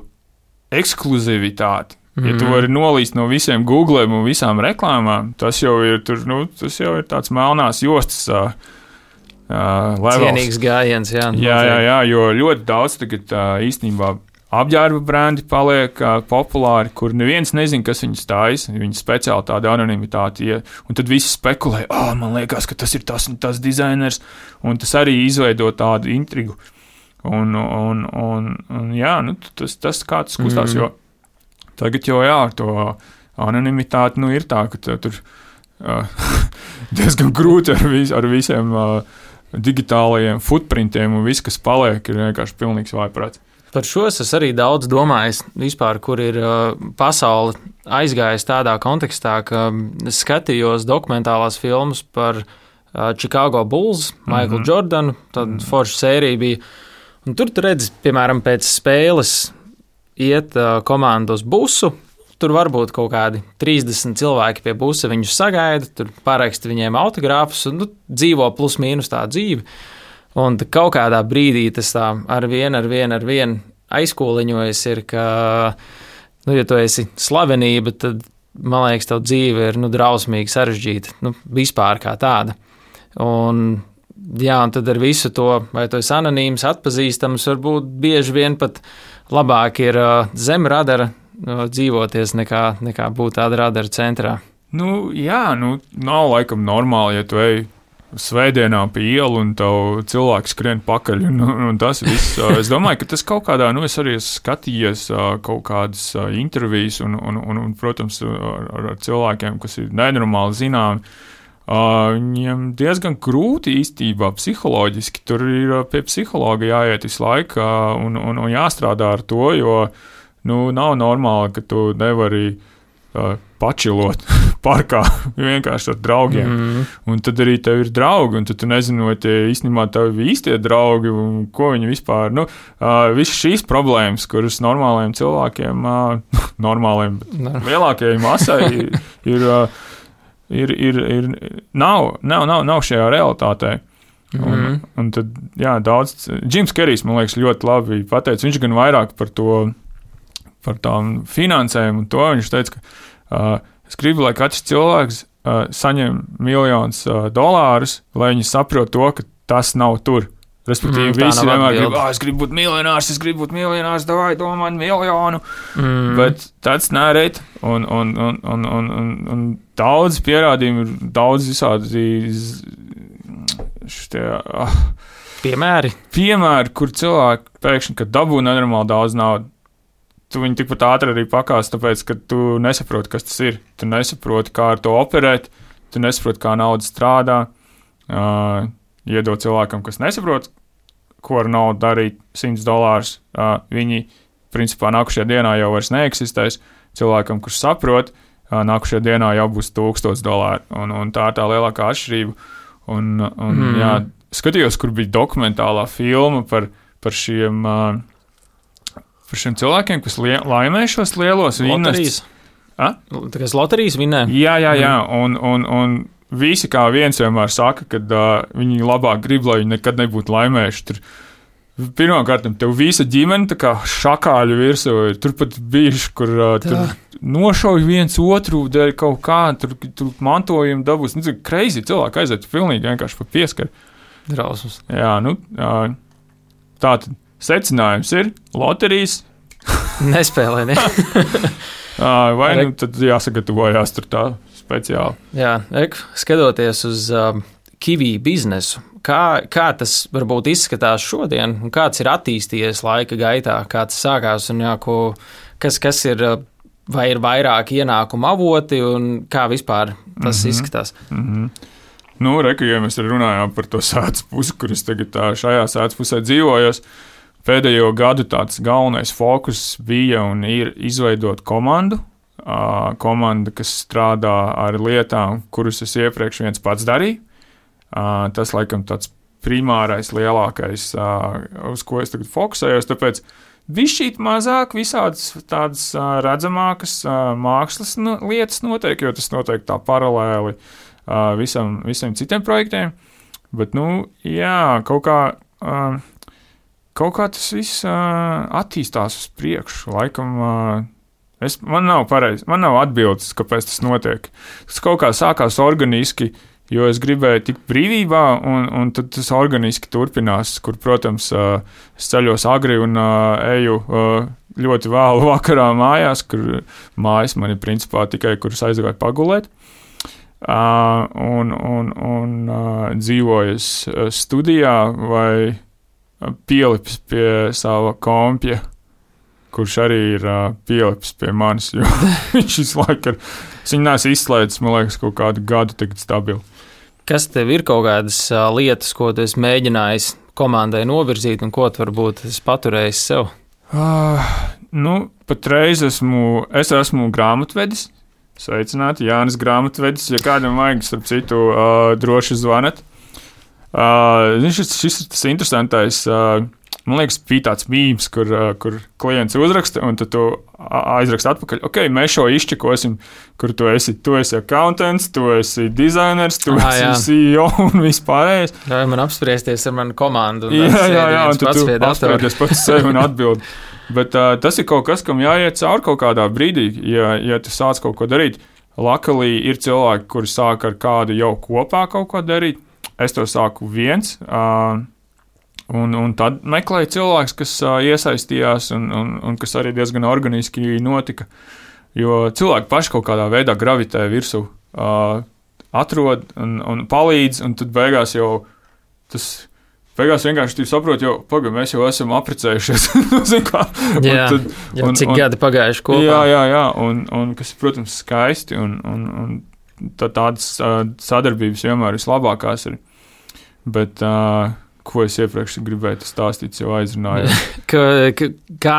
ekskluzivitāti. Mm-hmm. Ja tu vari nolīst no visiem Googlēm un visām reklāmām, tas jau ir, tur, nu, tas jau ir tāds melnās jostas uh, uh, levels. Cienīgs gājiens, jā. Jā, jā, jā, jo ļoti daudz tagad uh, īstenībā apģērba brendi paliek uh, populāri, kur neviens nezin, kas viņus stājas, viņi speciāli tāda anonimitāte, ja, un tad visi spekulē, ah, oh, man liekas, ka tas ir tas un tas dizainers, un tas arī izveido tādu intrigu. Un, un, un, un jā, nu, tas, tas kā tas kustās, mm. jo tagad jau jā, to anonimitāti, nu, ir tā, ka tur uh, diezgan grūti ar, vis, ar visiem uh, digitālajiem footprintiem un viss, kas paliek, ir vienkārši pilnīgs vājprāts. Par šo es arī daudz domājis vispār, kur ir uh, pasaule aizgājis tādā kontekstā, ka es skatījos dokumentālās filmas par uh, Chicago Bulls, Michael mm-hmm. Jordanu, tad mm-hmm. forša sērija bija. Un tur tu redzi, piemēram, pēc spēles iet uh, komanda uz busu, tur varbūt kaut kādi trīsdesmit cilvēki pie busa viņus sagaida, tur paraksta viņiem autogrāfus un nu, dzīvo plus mīnus tā dzīve. Un kaut kādā brīdī tas tā ar vienu, ar vienu, ar vienu aizkūliņojas ir, ka, nu, ja tu esi slavenība, tad, man liekas, tev dzīve ir, nu, drausmīgi sarežģīta, nu, vispār kā tāda. Un jā, un tad ar visu to, vai tu esi anonīms, atpazīstams, varbūt bieži vien pat labāk ir uh, zem radara uh, dzīvoties, nekā, nekā būt tāda radara centrā. Nu, jā, nu, nav laikam normāli, ja tu ej svētdienā pa ielu un tev cilvēks skrien pakaļ, un, un tas viss. Es domāju, ka tas kaut kādā, nu, es arī esmu skatījies uh, kaut kādas uh, intervijas un, un, un, un protams, ar, ar cilvēkiem, kas ir nenormāli zināmi. Uh, viņiem diezgan grūti īstenībā psiholoģiski, tur ir pie psihologa jāiet visu laiku uh, un, un, un jāstrādā ar to, jo nu, nav normāli, ka tu nevari uh, pačilot parkā vienkārši ar draugiem. Mm. Un tad arī tev ir draugi, un tad tu nezini, vai tie īstenībā tev ir īstie draugi, un ko viņi vispār, nu, uh, visas šīs problēmas, kuras normāliem cilvēkiem, uh, normāliem, bet lielākajai masai ir, ir uh, Ir, ir, ir, nav, nav, nav, nav šajā realitātē. Un, mm-hmm. un tad, jā, daudz, Džims Kerijs, man liekas, ļoti labi pateica, viņš gan vairāk par to par tām finansēm un to. Viņš teica, ka uh, es gribu, lai katrs cilvēks uh, saņem miljonus uh, dolārus, lai viņi saprot to, ka tas nav tur. Respektīvi, mm, visi vienmēr grib, ah, es gribu būt miljonārs, es gribu būt miljonārs, davai, domā miljonu. Mm. Bet tāds nērēt, un, un, un, un, un, un, un daudz pierādījumu ir daudz visādi šitie, ah, piemēri. Piemēri, kur cilvēki pēkšņi, kad dabū nenormāli daudz naudu, tu viņu tikpat ātri arī pakās, tāpēc, ka tu nesaproti, kas tas ir. Tu nesaproti, kā ar to operēt, tu nesaproti, kā nauda strādā. Uh, iedod cilvēkam, kas nesaprot, ko ar naudu darīt, simts dolārus, uh, viņi, principā, nākušajā dienā jau vairs neeksistēs. Cilvēkam, kurš saprot, uh, nākušajā dienā jau būs tūkstots dolāri, un, un tā ir tā lielākā atšķirība. Un, un mm. jā, skatījos, kur bija dokumentālā filma par, par šiem, uh, par šiem cilvēkiem, kas lie, laimē šos lielos loterijas. A? Tā kā loterijas vinnē. Jā, jā, jā, un, un, un visi kā viens vienmēr saka, ka uh, viņi labāk grib, lai viņi nekad nebūtu laimējuši. Tur, pirmkārt, tev visa ģimene tā kā šakāļu virsū. Tur pat bijuši, kur uh, tur nošauj viens otru dēļ kaut kā, tur, tur mantojumu dabūs. Nu, crazy cilvēki aiziet pilnīgi vienkārši pa pieskaru. Drausmas. Jā, nu, uh, tā tad secinājums ir loterijas. Nespēlē, ne? uh, vai nu tad jāsagatavojās tur tā speciāli. Jā, ek, skatoties uz um, Kiwi biznesu, kā, kā tas varbūt izskatās šodien, un kāds ir attīstījies laika gaitā, kā tas sākās, un jā, ko, kas, kas ir, vai ir vairāk ienākumu avoti, un kā vispār tas mm-hmm. izskatās? Mm-hmm. Nu, reku, ja mēs runājām par to sēdz pusi, kur es tagad tā, šajā sēdz pusē dzīvojos, pēdējo gadu tāds galvenais fokus bija un ir izveidot komandu, Uh, komanda, kas strādā ar lietām, kuras es iepriekš viens pats darīju. Uh, tas, laikam, tāds primārais, lielākais, uh, uz ko es tagad fokusējos, tāpēc bišķīt mazāk visādas tādas uh, redzamākas uh, mākslas no, lietas notiek, jo tas notiek tā paralēli uh, visam, visiem citiem projektiem. Bet, nu, jā, kaut kā, uh, kaut kā tas viss uh, attīstās uz priekšu, laikam, uh, Es, man nav pareizi, man nav atbildes, kāpēc tas notiek. Tas kaut kā sākās organiski, jo es gribēju tikt brīvībā, un, un tad tas organiski turpinās, kur, protams, es ceļos agri un eju ļoti vēlu vakarā mājās, kur mājas man ir principā tikai, kuras aizgāju pagulēt, un, un, un dzīvoju studijā vai pielipis pie sava kompja, kurš arī ir uh, pielipis pie manis, jo viņš visu laiku ir, es viņu neesmu izslēdzis, man liekas, kaut kādu gadu tagad stabili. Kas tev ir kaut kādas uh, lietas, ko tu esi mēģinājis komandai novirzīt, un ko tu varbūt esi paturējis sev? Uh, nu, patreiz esmu, es esmu grāmatvedis, sveicināti, Jānis grāmatvedis, ja kādam vajag, starp citu, uh, droši zvanat. Uh, šis, šis ir tas interesantais, uh, man liekas, bija tāds mīms, kur, kur klients uzraksta, un tad tu aizraksta atpakaļ. Ok, mēs šo izčekosim, kur tu esi, tu esi accountants, tu esi dizainers, tu ah, esi jā. C E O un vispārējais. Ļauj man apspriesties ar manu komandu. Un jā, jā, jā, un tad tu apspriesties pats sevi un atbildi. Bet uh, tas ir kaut kas, kam jāiet cauri kaut kādā brīdī, ja, ja tu sāc kaut ko darīt. Luckily ir cilvēki, kuri sāk ar kādu jau kopā kaut ko darīt. Es to sāku viens. Uh, Un, un tad meklēja cilvēks, kas uh, iesaistījās un, un, un kas arī diezgan organiski notika, jo cilvēki paši kaut kādā veidā gravitē virsū, uh, atrod un, un palīdz, un tad beigās jau tas, beigās vienkārši tu saproti, jo, pagaid, mēs jau esam apprecējušies. kā, jā, tad, jau un, cik un, gadi pagājuši kopā. Jā, jā, jā, un, un kas, protams, skaisti, un, un, un tā, tādas uh, sadarbības vienmēr vislabākās ir. Bet, uh, ko es iepriekš gribēju stāstīt, jau aizrunāju. kā,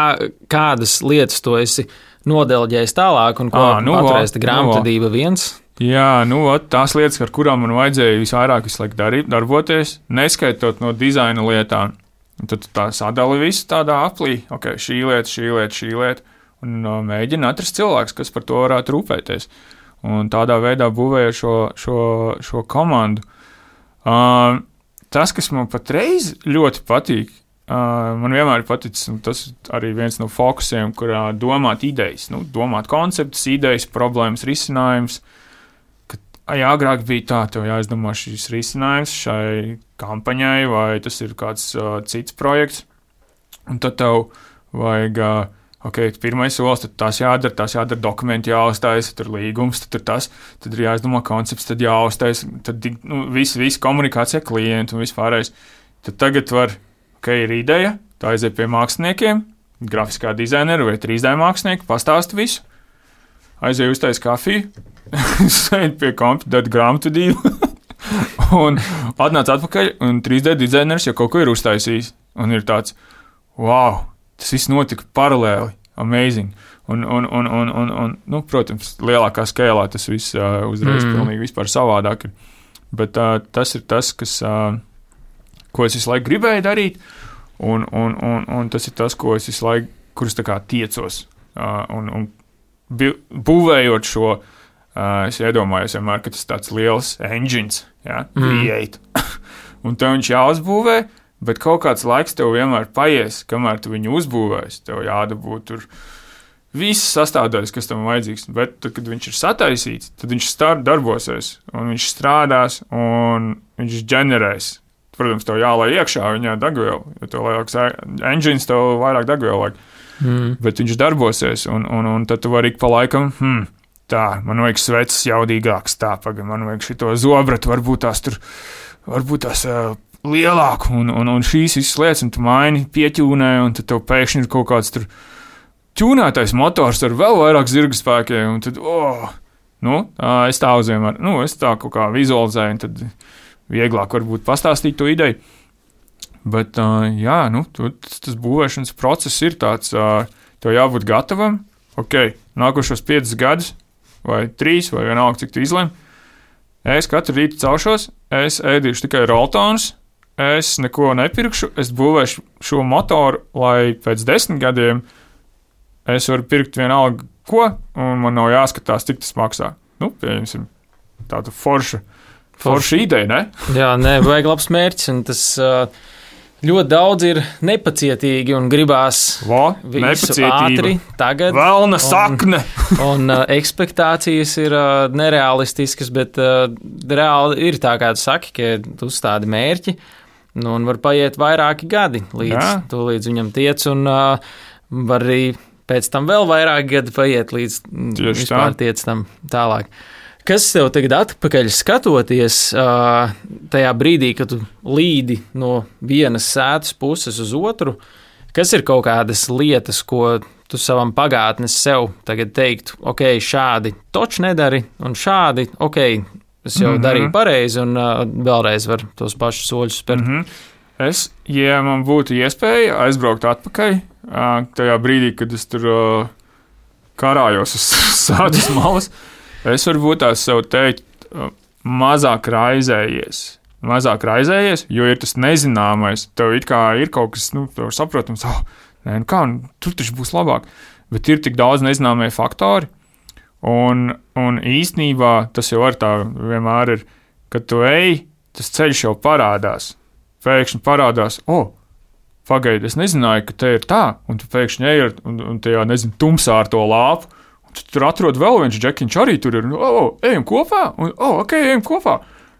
kādas lietas tu esi nodelģējis tālāk, un ko à, nu, paturēs grāmatvedība nu, viens? Jā, nu, tās lietas, ar kurām man vajadzēja visvairāk visu laiku darīt, darboties, neskaitot no dizaina lietām. Un tad tā sadali visu tādā aplī, ok, šī lieta, šī lieta, šī lieta, un uh, mēģina atrast cilvēks, kas par to varētu rūpēties. Un tādā veidā būvēja šo, šo, šo komandu. Uh, Tas, kas man patreiz ļoti patīk, uh, man vienmēr ir paticis, un tas arī viens no fokusiem, kurā domāt idejas, nu, domāt konceptus, idejas, problēmas, risinājums. Ja agrāk bija tā, tev jāizdomā šīs risinājums šai kampaņai, vai tas ir kāds uh, cits projekts, un tad tev vajag, uh, ok, pirmais solis, tad tas jādara, tas jādara, dokumenti jāuztais, tad ir līgums, tad ir tas, tad ir jāizdomā koncepts, tad jāuztais, tad nu, viss, viss komunikācija klientu un vispārējais. Tad tagad var, ok, ir ideja, tā aiziet pie māksliniekiem, grafiskā dizainera vai trīs D mākslinieka, pastāst visu, aiziet uztais kafiju, sēd pie kompjutera grāmatvedību un atnāc atpakaļ, un trīs D dizainers jau kaut ko ir uztaisījis. Un ir tāds, wow, tas viss notika paralēli, amazing. Un, un, un, un, un, un nu, protams, lielākā skēlā tas viss uh, uzreiz mm. pilnīgi vispār savādāk ir. Bet uh, tas ir tas, kas, uh, ko es visu laiku gribēju darīt, un, un, un, un tas ir tas, ko es visu laiku, kurus tā kā tiecos. Uh, un, un būvējot šo, Uh, es iedomājos vienmēr, ka tas tāds liels engines, ja, create. Mm. Un tev viņš jāuzbūvē, bet kaut kāds laiks tev vienmēr paies, kamēr tu viņu uzbūvēsi. Tev jādabūt tur viss sastādājis, kas tam vajadzīgs. Bet tad, kad viņš ir sataisīts, tad viņš start darbosies, un viņš strādās, un viņš ģenerēs. Protams, tev jālai iekšā viņā degvielu, jo tev lielāks engines, tev vairāk degvielu vajag. Mm. Bet viņš darbosies, un, un, un tad tu vari ik pa laikam, hmm, tā, man vajag sveces jaudīgāks, tā, pagad, man vajag šito zobratu, varbūt tās tur, varbūt tās uh, lielāku, un, un, un šīs visas lietas, un tu maini, pieķūnē, un tad tev pēkšņi ir kaut kāds tur ķūnētais motors ar vēl vairāk zirga spēkiem, un tad, oh, nu, uh, es tā uzvienmēr, nu, es tā kaut kā vizualizēju, un tad vieglāk varbūt pastāstīt to ideju. Bet, uh, jā, nu, tu, tas, tas būvēšanas process ir tāds, uh, tev jābūt gatavam, ok, nākošos piecus gadus, vai trīs, vai vienalga, cik tu izlem. Es katru rītu celšos, es ēdīšu tikai roltonus, es neko nepirkšu, es būvēšu šo motoru, lai pēc desmit gadiem es varu pirkt vienalga ko, un man nav jāskatās, cik tas maksā. Nu, pieņemsim, tāda forša, forša ideja, ne? Jā, nē, vajag labs mērķis, un tas ļoti daudz ir nepacietīgi un gribās Vo, visu ātri tagad. Velna sakne! Un, un uh, ekspektācijas ir uh, nerealistiskas, bet uh, reāli ir tā, kā tu saki, ka tu uzstādi mērķi, nu, un var paiet vairāki gadi, līdz Jā. tu līdz viņam tiec, un uh, var arī pēc tam vēl vairāki gadi paiet, līdz Tieši vispār tā. tiec tam tālāk. Kas tev tagad atpakaļ skatoties tajā brīdī, kad tu līdi no vienas sētas puses uz otru, kas ir kaut kādas lietas, ko tu savam pagātnes sev tagad teiktu, ok, šādi toč nedari, un šādi, ok, es jau mm-hmm. darīju pareizi, un uh, vēlreiz var tos pašus soļus spērt. Mm-hmm. Es, ja man būtu iespēja aizbraukt atpakaļ, uh, tajā brīdī, kad es tur uh, karājos uz sātas malas, es varbūt tās sev teikt, mazāk raizējies, mazāk raizējies, jo ir tas nezināmais, tev it kā ir kaut kas, nu, tev saprotams, oh, nē, nu kā, tur taču būs labāk, bet ir tik daudz nezināmie faktori, un, un īstenībā tas jau ar tā vienmēr ir, kad tu ej, tas ceļš jau parādās, pēkšņi parādās, o, oh, pagaidi, es nezināju, ka te ir tā, un tu pēkšņi ej ar, un, un tajā, nezinu, tumsā ar to lāpu, tu tur atrod vēl viens džekiņš, arī tur ir, o, oh, ejam kopā, un, o, oh, ok, ejam kopā.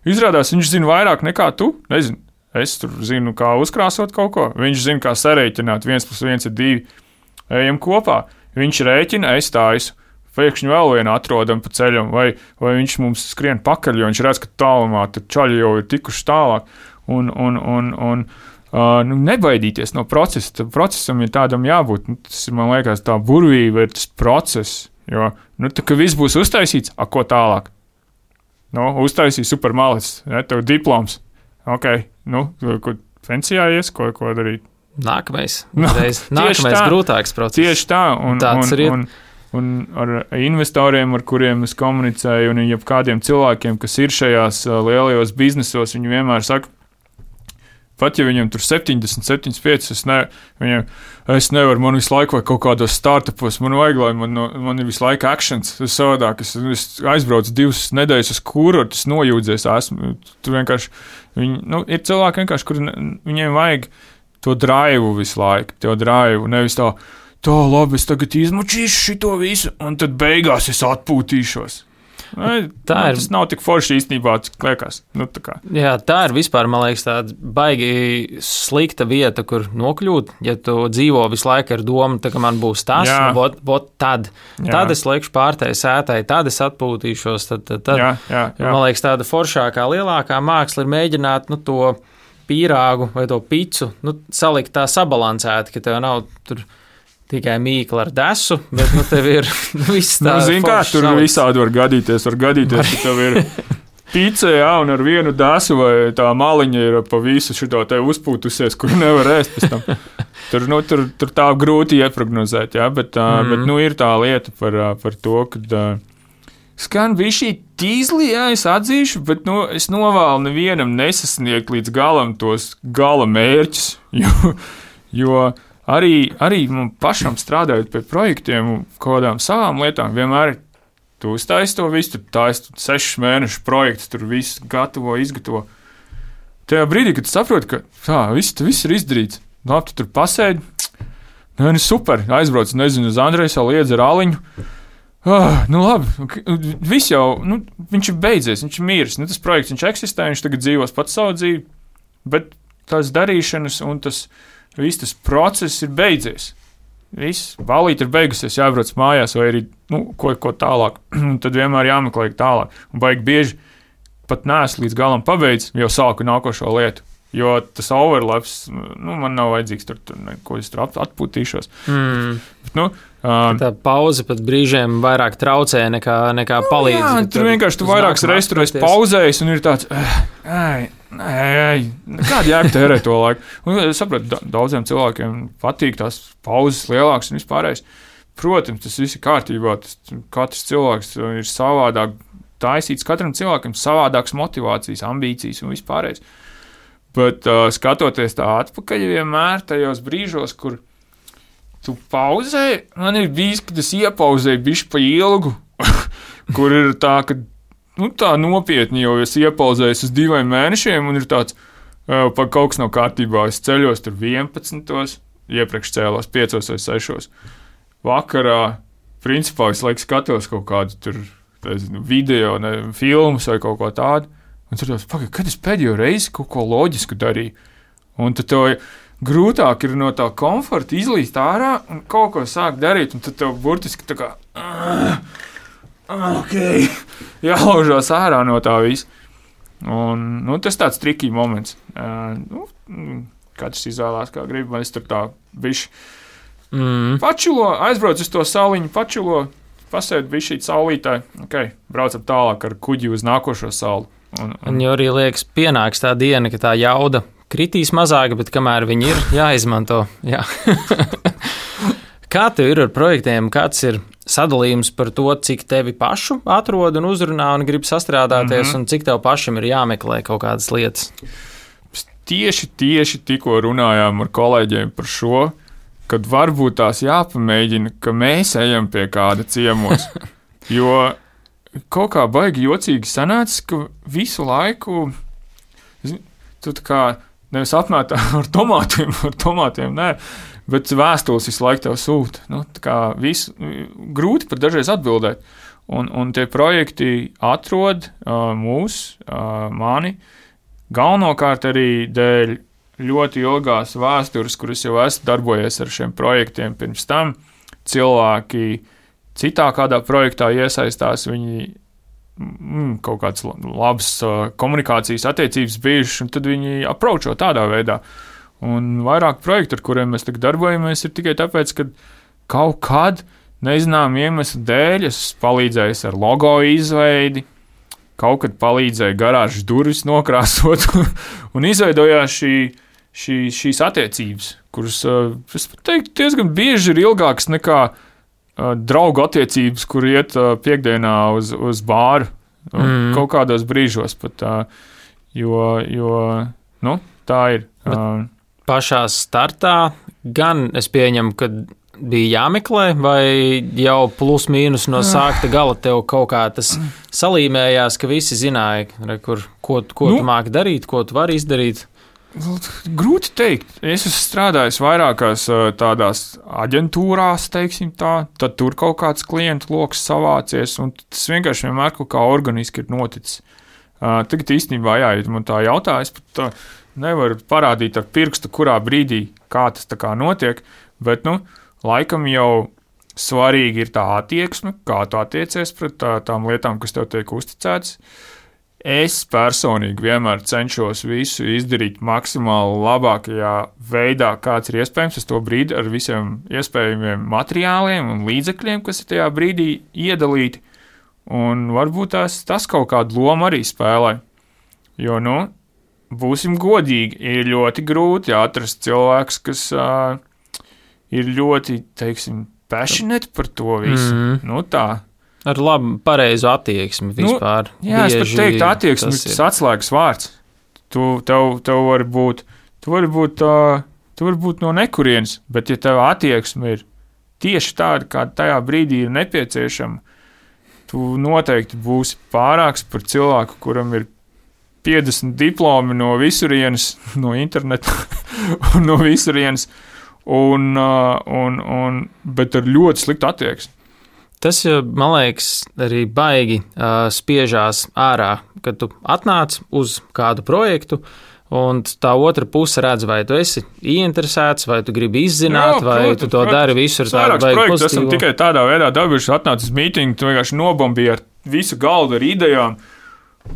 Izrādās, viņš zina vairāk nekā tu, nezinu, es tur zinu, kā uzkrāsot kaut ko, viņš zina, kā sarēķināt, viens plus viens ir divi, ejam kopā, viņš rēķina, es taisu, pēkšņi vēl vienu atrodam pa ceļam, vai, vai viņš mums skrien pakaļ, jo viņš redz, ka tālumā tur čaļi jau ir tikuši tālāk, un, un, un, un uh, nu, nebaidīties no procesa, tam procesam ir tādam jābūt, nu, tas ir, man liekas, tā burvība ir tas process, jo, nu, tā, ka viss būs uztaisīts, a, ko tālāk? Nu, uztaisīja super malicis, ne, tev diploms. Ok, nu, ko pensijā ies, ko, ko darīt? Nākamais, reiz, nākamais tā, grūtāks process. Tieši tā, un, un, un, un ar investoriem, ar kuriem es komunicēju, un jebkādiem cilvēkiem, kas ir šajās lielajos biznesos, viņi vienmēr saka, pat ja viņam tur septiņdesmit, septiņdesmit pieci, es, ne, viņam, es nevaru, man visu laiku vai kaut kādos startupos, man vajag, lai man, man ir visu laiku actions, es savādāk, es, es aizbraucu divas nedēļas uz kuru, tas nojūdzies, esmu, tur vienkārši, viņi, nu, ir cilvēki vienkārši, kur viņiem vajag to draivu visu laiku, to draivu, nevis tā, tā labi, es tagad izmučīšu šito visu, un tad beigās es atpūtīšos. Tā ir. Tas nav tik forši īstenībā, cik liekas. Nu, tā Jā, tā ir vispār, man liekas, tāda baigi slikta vieta, kur nokļūt. Ja tu dzīvo visu laiku ar domu, tā, ka man būs tas, nu, bot, bot, tad, jā. tad es liekšu pārtai sētai, tad es atpūtīšos. Tad, tad, tad. Jā, jā, jā. Man liekas, tāda foršākā, lielākā māksla ir mēģināt nu, to pīrāgu vai to picu nu, salikt tā sabalansēti, ka tev nav tur tikai mīkla ar desu, bet nu, tev ir viss tā. Nu, zin kā, tur salikts. Visādi var gadīties, var gadīties, ka tev ir pica, jā, un ar vienu desu vai tā maliņa ir pa visu šito te uzpūtusies, kur nevar ēst pēc tam. Tur, nu, tur, tur tā grūti ieprognozēt, jā, bet, mm. bet nu, ir tā lieta par, par to, kad skan bija šī tīzli, jā, es atzīšu, bet nu, es novēlu nevienam nesasniegt līdz galam tos gala mērķus, jo, jo Arī, arī man pašam strādājot pie projektiem un kādām savām lietām, vienmēr tu uztaisi to visu, tu taisi sešus mēnešu projektu, tur viss gatavo, izgatavo. Tajā brīdī, kad tu saproti, ka tā, viss, viss ir izdarīts, labi, tu tur pasēdi, nu, nu super, aizbrauc, nezinu, uz Andreju savu liedzi ar aliņu, ah, nu labi, viss jau, nu, viņš ir beidzies, viņš ir mīris, nu, tas projekts, viņš eksistē, viņš tagad dzīvos pats savu dzīvi, bet tās darīšanas un tas viss tas process ir beidzies. Viss, balīte ir beigusies, jābrauc mājās vai arī nu, ko, ko tālāk. Tad vienmēr jāmeklē tālāk. Un baigi bieži pat neesmu līdz galam pabeidzis, jau sāku nākošo lietu. Jo tas overlaps, nu, man nav vajadzīgs tur, tur ko es tur atpūtīšos. Mm. Bet, nu, um, tā pauze pat brīžiem vairāk traucē nekā, nekā nu, palīdz. Jā, tur, tur vienkārši tu vairākas reizes pauzējis un ir tāds, ej, ej, kāda jēga tērēt to laiku. Un es saprotu, daudziem cilvēkiem patīk tās pauzes lielākas un vispārējais. Protams, tas viss ir kārtībā, tas, katrs cilvēks ir savādāk taisīts, katram cilvēkam savādāks motivācijas, ambīcijas un vispārējais. Bet uh, skatoties tā atpakaļ vienmēr tajos brīžos, kur tu pauzēji, man ir bijis, kad es iepauzēju bišķi pa ilgu, kur ir tā, ka nu, tā nopietni, jo es iepauzēju uz diviem mēnešiem un ir tāds, uh, pa kaut kas nav kārtībā, es ceļos tur vienpadsmitos, iepriekš cēlos piecos vai sešos. Vakarā, principā, es laiku skatos kaut kādu tur nezinu, video, ne, filmas vai kaut ko tādu. Un tur tāds, pagaid, kad es pēdējo reizi kaut ko loģisku darīju. Un tad tev grūtāk ir no tā komforta izlīst ārā un kaut ko sākt darīt. Un tad tev burtiski tā kā, ok, jālaužās ārā no tā visa. Un nu, tas tāds trikī moments. Uh, nu, katrs izvēlās, kā grib, man es tur tā bišķi mm. pačilo, aizbrauc uz to saliņu, pačilo, pasēd bišķīt saulītā. Ok, braucam tālāk ar kuģi uz nākošo salu. Un, un... un jau arī liekas, pienāks tā diena, ka tā jauda kritīs mazāka, bet kamēr viņi ir, jāizmanto. Jā. Kā tev ir ar projektiem? Kāds ir sadalījums par to, cik tevi pašu atrod un uzrunā un grib sastrādāties, mm-hmm. un cik tev pašam ir jāmeklē kaut kādas lietas? Tieši, tieši tikko runājām ar kolēģiem par šo, kad varbūt tās jāpamēģina, ka mēs ejam pie kāda ciemos. Jo kaut kā baigi jocīgi sanāca, ka visu laiku tu tā kā nevis apmētā ar tomātiem, ar tomātiem, nē, bet vēstules visu laiku tev sūta. Nu, tā kā visu, grūti pat dažreiz atbildēt. Un, un tie projekti atrod uh, mūs, uh, mani, galvenokārt arī dēļ ļoti ilgās vēstures, kuras jau esmu darbojies ar šiem projektiem pirms tam. Cilvēki citā kādā projektā iesaistās, viņi mm, kaut kāds labs uh, komunikācijas attiecības bijušas, un tad viņi approacho tādā veidā. Un vairāk projektu, ar kuriem mēs tagad darbojamies, ir tikai tāpēc, ka kaut kad nezinām iemeslu dēļ es palīdzēju ar logo izveidi, kaut kad palīdzēju garāžas durvis nokrāsot, un izveidojās šī, šī, šīs attiecības, kuras, uh, es teiktu, diezgan bieži ir ilgākas nekā draugu attiecības, kur iet piekdienā uz, uz bāru, mm. kaut kādos brīžos pat, jo, jo nu, tā ir. Bet pašā startā gan es pieņemu, ka bija jāmeklē, vai jau plus mīnus no sākta gala tev kaut kā tas salīmējās, ka visi zināja, kur, ko, ko nu, tu māki darīt, ko tu vari izdarīt? Grūti teikt. Es esmu strādājis vairākās tādās aģentūrās, teiksim tā, tad tur kaut kāds klientu loks savācies, un tas vienkārši vienmēr kaut kā organiski ir noticis. Tagad īstenībā, jā, ja man tā jautā, es pat nevaru parādīt ar pirkstu, kurā brīdī kā tas tā kā notiek, bet, nu, laikam jau svarīgi ir tā attieksme, kā tu attiecies pret tā, tām lietām, kas tev tiek uzticētas. Es personīgi vienmēr cenšos visu izdarīt maksimāli labākajā veidā, kāds ir iespējams uz to brīdi ar visiem iespējamiem materiāliem un līdzekļiem, kas ir tajā brīdī iedalīti. Un varbūt tās, tas kaut kādu lomu arī spēlē. Jo, nu, būsim godīgi, ir ļoti grūti atrast cilvēks, kas uh, ir ļoti, teiksim, passionate par to visu. Mm. Nu, tā. Ar labu, pareizu attieksmi vispār. Nu, jā, es pat teiktu, attieksmi ir tas atslēgas vārds. Tu, tev, tev var būt, tu vari būt, uh, tu vari būt no nekurienes, bet ja tev attieksme ir tieši tāda, kāda tajā brīdī ir nepieciešama, tu noteikti būsi pārāks par cilvēku, kuram ir piecdesmit diplomi no visurienes, no interneta un no visurienes, un, uh, un, un, bet ar ļoti sliktu attieksmi. Tas, man liekas, arī baigi uh, spiežās ārā, kad tu atnāc uz kādu projektu, un tā otra puse redz, vai tu esi ieinteresēts, vai tu gribi izzināt, jā, vai protams, tu to protams. dari visu ar tādu baigi pozitīvu. Esam tikai tādā veidā dabījuši, atnāc uz mītingu, tu vienkārši nobombīji ar visu galdu ar idejām,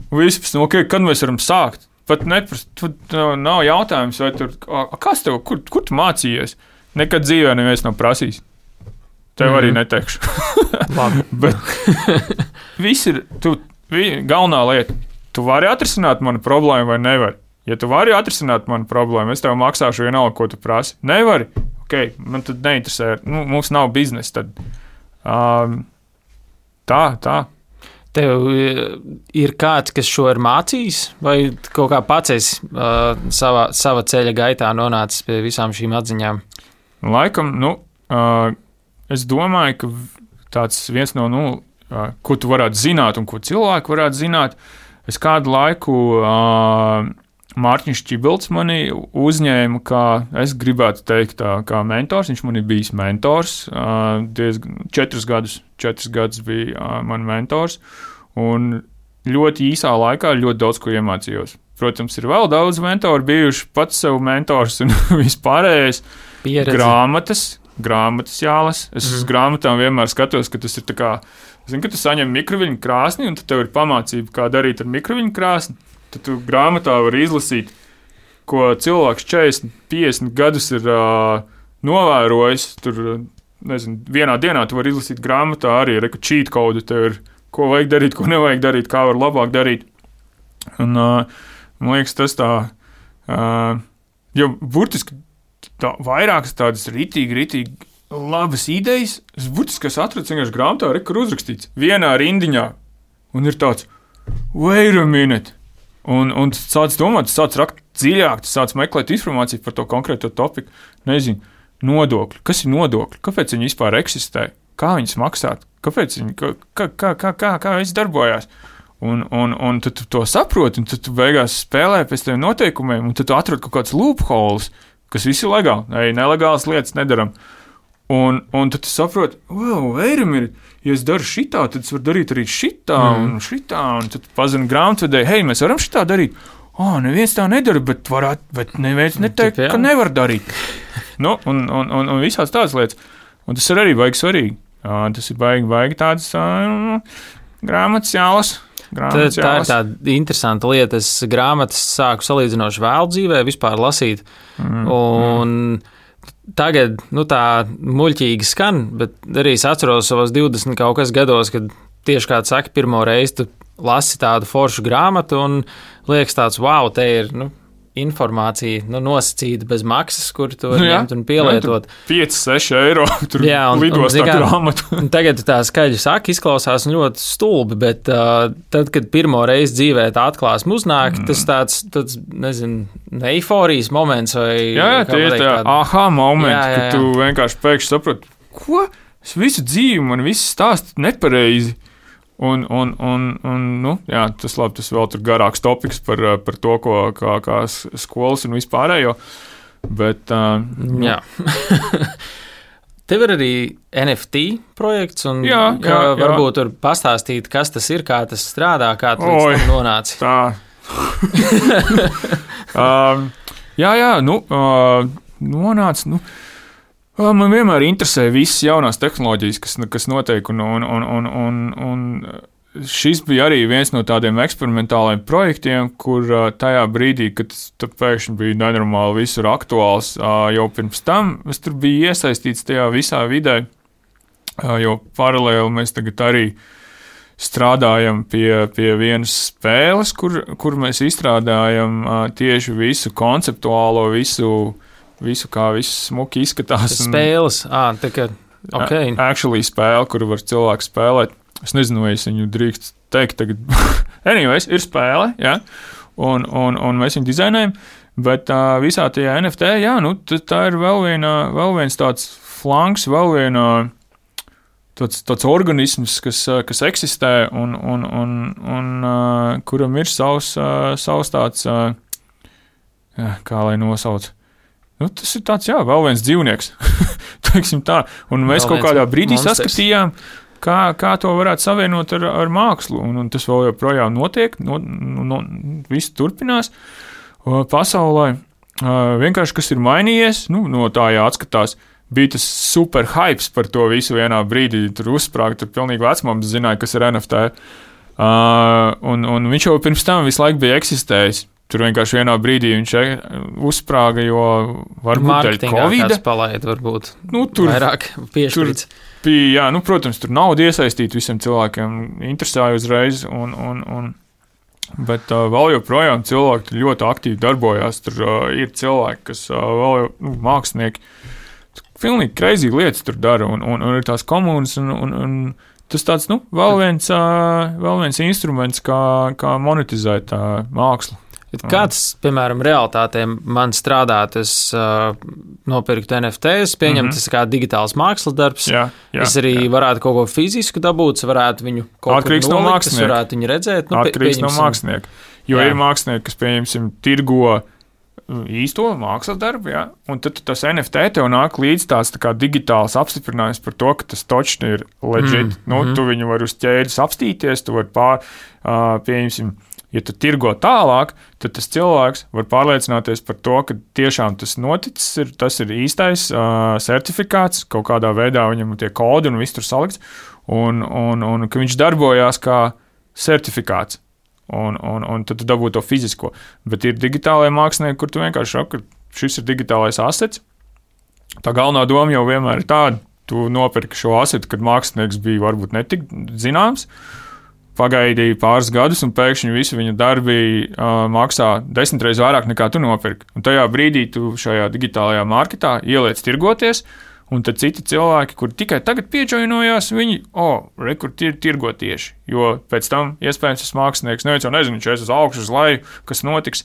un vispēc, nu, okay, kad mēs varam sākt? Pat neprast, tu, nav jautājums, vai tur, kas tev, kur, kur tu mācījies? Nekad dzīvē neviens nav prasījis. Tev mm. arī neteikšu. Bet viss ir, tu, vi, galvenā lieta, tu vari atrisināt manu problēmu vai nevari. Ja tu vari atrisināt manu problēmu, es tev maksāšu vienalga, ko tu prasi. Nevari? Ok, man tad neinteresē, nu, mums nav biznesa tad. Um, tā, tā. Tev ir kāds, kas šo ir mācījis, vai kaut kā pats esi uh, savā, sava ceļa gaitā nonācis pie visām šīm atziņām? Laikam, nu, uh, es domāju, ka tāds viens no, nu, uh, ko tu varētu zināt un ko cilvēki varētu zināt, es kādu laiku uh, Mārtiņš Čibilds mani uzņēma, kā es gribētu teikt, tā, kā mentors. Viņš man ir bijis mentors, uh, diezgan četrus gadus, četrus gadus bija uh, man mentors, un ļoti īsā laikā ļoti daudz ko iemācījos. Protams, ir vēl daudz mentori bijuši, pats sev mentors un vispārējais. Pieredzi. Grāmatas. Grāmatas jālas. Es mm. uz grāmatām vienmēr skatos, ka tas ir tā kā, zini, ka tu saņem mikroviļņu krāsni, un tad tev ir pamācība, kā darīt ar mikroviļņu krāsni. Tad tu grāmatā vari izlasīt, ko cilvēks četrdesmit, piecdesmit gadus ir uh, novērojis. Tur, nezinu, vienā dienā tu vari izlasīt grāmatā arī, reku cheat code, tev ir, ko vajag darīt, ko nevajag darīt, kā var labāk darīt. Un, uh, man liekas, tas tā, uh, jo burtiski, tā, vairākas tādas ritīgi, ritīgi labas idejas. Es burtiski es atradu vienkārši grāmatā, re, kur uzrakstīts vienā rindiņā. Un ir tāds, wait a minute. Un, un tu sāc domāt, tu sāc rakt dziļāk, tu sāc meklēt informāciju par to konkrēto topiku. Nezinu, nodokļi. Kas ir nodokļi? Kāpēc viņi vispār eksistē? Kā viņas maksāt? Kāpēc viņi, kā, kā, kā, kā, kā, kā viss darbojās? Un, un, un tad tu to saproti, un tad tu beigās spēlē pēc tiem noteikumiem, un tad tu atrod kaut kāds loopholes, kas viss ir legāli, ei, nelegālas lietas nedaram. Un, un tad tu saproti, wow, veiram ir, ja es daru šitā, tad es varu darīt arī šitā mm. un šitā, un tad pazinu grāmatvedēju, hei, mēs varam šitā darīt. Ā, oh, neviens tā nedara, bet varētu, bet neviens neteikt, ka nevar darīt. Nu, un, un, un, un visās tādas lietas. Un tas ir arī baigi svarīgi. Uh, tas ir baigi, baigi tādas uh, grāmatas jālas. Tā, tā ir tāda interesanta lieta. Es grāmatas sāku salīdzinoši vēl dzīvē, vispār lasīt. Mm, un mm. tagad, nu tā muļķīgi skan, bet arī es atceros savos divdesmit kaut kas gados, kad tieši kā tu saki, pirmo reizi tu lasi tādu foršu grāmatu un liekas tāds, wow, te ir, nu, informācija, nu, nosacīta bez maksas, kur tu vari ņemt un pielietot. pieci seši eiro tur jā, un, lidos un, tā grāmatu. Tagad tā skaļi saka, izklausās ļoti stulbi, bet uh, tad, kad pirmo reizi dzīvē tā atklāsme uznāk, mm. tas tāds, tāds, nezinu, eiforijas moments vai... Jā, jā, tie ir tā aha momenti, jā, jā, jā. Kad tu vienkārši pēkšņi saproti, ko? Es visu dzīvi, man viss stāst nepareizi. Un, un, un, un nu, jā, tas, labi, tas vēl tur garāks topiks par, par to, ko, kā, kā skolas un vispārējo. Bet, uh, nu. Jā. Tev ir arī N F T projekts, un jā, jā, varbūt tur pastāstīt, kas tas ir, kā tas strādā, kā tu līdz tam nonāci. Tā. um, jā, jā, nu, uh, nonāca, nu, uh, man vienmēr interesē visas jaunās tehnoloģijas, kas, kas notiek, un, un, un, un, un, un šis bija arī viens no tādiem eksperimentāliem projektiem, kur uh, tajā brīdī, kad tas pēkšņi bija nenormāli visur aktuāls, uh, jau pirms tam es tur biju iesaistīts tajā visā vidē, uh, jo paralēli mēs tagad arī strādājam pie, pie vienas spēles, kur, kur mēs izstrādājam uh, tieši visu konceptuālo, visu, visu kā viss smuki izskatās. Spēles, ā, tā kā, ok. Actually spēle, kuru var cilvēks spēlēt. Es nezinu, vai es viņu drīkst teikt tagad. Anyways, ir spēle, jā, un, un, un mēs viņu dizainējam, bet uh, visā tajā N F T, jā, nu, tā ir vēl, viena, vēl viens tāds flanks, vēl viena tāds, tāds organisms, kas, kas eksistē un, un, un, un uh, kuram ir savs, uh, savs tāds, uh, jā, kā lai nosauc. Nu, tas ir tāds, jā, vēl viens dzīvnieks, teiksim tā, un mēs vēl kaut kādā brīdī monsters. Saskatījām, Kā, kā to varētu savienot ar, ar mākslu, un, un tas vēl joprojām notiek, no, no, viss turpinās pasaulē. Vienkārši, kas ir mainījies, nu, no tā jāatskatās, bija tas super hypes par to visu vienā brīdī, tur uzsprāga, tur pilnīgi vecmams zināja, kas ir N F T, un, un viņš jau pirms tam visu laiku bija eksistējis. Tur vienkārši vienā brīdī viņš uzsprāga, jo varbūt dēļ Covid. Marketingā palaid, varbūt nu, tur, vairāk piešķirts. Bija, jā, nu, protams, tur nauda iesaistīta visiem cilvēkiem, interesēja uzreiz, un, un, un, bet uh, vēl joprojām cilvēki ļoti aktīvi darbojās. Tur uh, ir cilvēki, kas uh, vēl jau, nu, mākslinieki, pilnīgi crazy lietas tur dara, un, un, un ir tās komunas, un, un, un tas tāds, nu, vēl viens, uh, vēl viens instruments, kā, kā monetizēt uh, mākslu. Kāds, piemēram, realitātē man strādāt, es uh, nopirktu N F T, es pieņemu, mm -hmm. tas kā digitāls mākslas darbs. Jā, jā, es arī jā. varētu kaut ko fizisku dabūt, varētu viņu kaut Atkarīgs kur nolikt, no es varētu viņu redzēt. Nu, Atkarīgs no mākslinieka. Jo jā. Ir mākslinieki, kas, pieņemsim, tirgo īsto mākslas darbu, jā, un tad tas N F T tev nāk līdz tāds tā kā digitāls apstiprinājums par to, ka tas točni ir legit. Mm, nu, mm. Tu viņu var uz ķēdes apstīties, tu var pār, uh, pieņemsim, ja tu tirgo tālāk, tad tas cilvēks var pārliecināties par to, ka tiešām tas noticis, ir, tas ir īstais uh, certifikāts, kaut kādā veidā viņam tie kodi un viss tur salikts, un, un, un ka viņš darbojās kā certifikāts, un, un, un tad tu dabū to fizisko. Bet ir digitālajie mākslinieki, kur tu vienkārši saki, ka šis ir digitālais asets. Tā galvenā doma jau vienmēr ir tāda, tu nopirki šo asetu, kad mākslinieks bija varbūt netik zināms, pagaidīja pāris gadus, un pēkšņi visi viņa darbi uh, maksā desmit reizes vairāk nekā tu nopirki. Un tajā brīdī tu šajā digitālajā marketā ieliec tirgoties, un tad citi cilvēki, kuri tikai tagad pieģoinojās, viņi, o, oh, re, kur ir tirgo tieši, jo pēc tam iespējams tas mākslinieks, neviens jau nezinu, viņš aiz uz augšu, uz leju, kas notiks.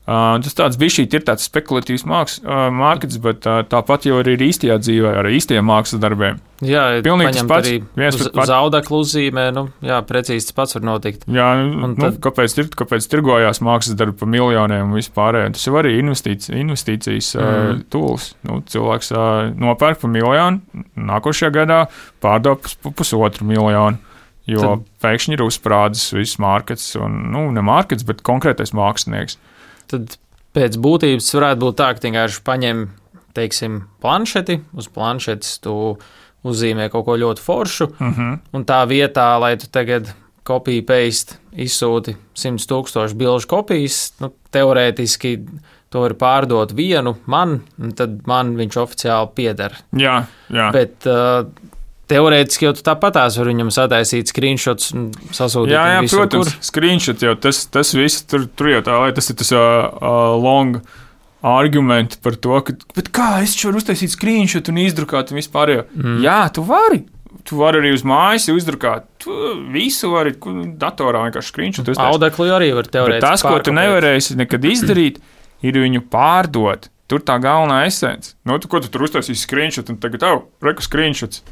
Uh, tas tāds bišķīt ir tāds spekulatīvs māks, uh, markets, bet uh, tāpat jau arī ir īstajā dzīvē, ar īstajiem mākslas darbiem. Jā, pilnīgi tas pats. Viens uz, uz audeklu uzzīmē, nu, jā, precīzi tas pats var notikt. Jā, nu, tad... kāpēc, kāpēc tirgojās mākslas darbi pa miljoniem un vispārējiem? Tas jau arī investīcijas, investīcijas mm. uh, tools. Nu, cilvēks uh, nopērk pa miljonu, nākošajā gadā pārdod pa pusotru miljonu, jo tad... pēkšņi ir uzsprādzis viss markets, un, nu, ne markets, bet konkrētais mākslinieks. Tad pēc būtības varētu būt tā, ka vienkārši paņem, teiksim, planšeti, uz planšetes tu uzzīmē kaut ko ļoti foršu, mm-hmm. un tā vietā, lai tu tagad copy paste izsūti simts tūkstošu bilžu kopijas, nu, teorētiski to var pārdot vienu man, un tad man viņš oficiāli pieder. Jā, jā. Bet uh, teorētiski jau tu tāpatās var viņam sataisīt screenshots un sasūtīt. Jā, jā, visu, protams, kur. Screenshot jau tas, tas viss, tur, tur jau tā, lai tas ir tas uh, uh, long argumenti par to, ka, bet kā es varu uztaisīt screenshot un izdrukāt un vispār jau. Mm. Jā, tu vari. Tu vari arī uz mājas uzdrukāt. Tu visu vari datorā vienkārši screenshot uztaisīt. Audekli arī var teorētiski. Bet tas, ko tu nevarēsi nekad izdarīt, ir viņu pārdot. Tur tā galvenā esence. Nu, tu, ko tu tur uztaisīsi screenshot un tagad, oh, reku screenshots.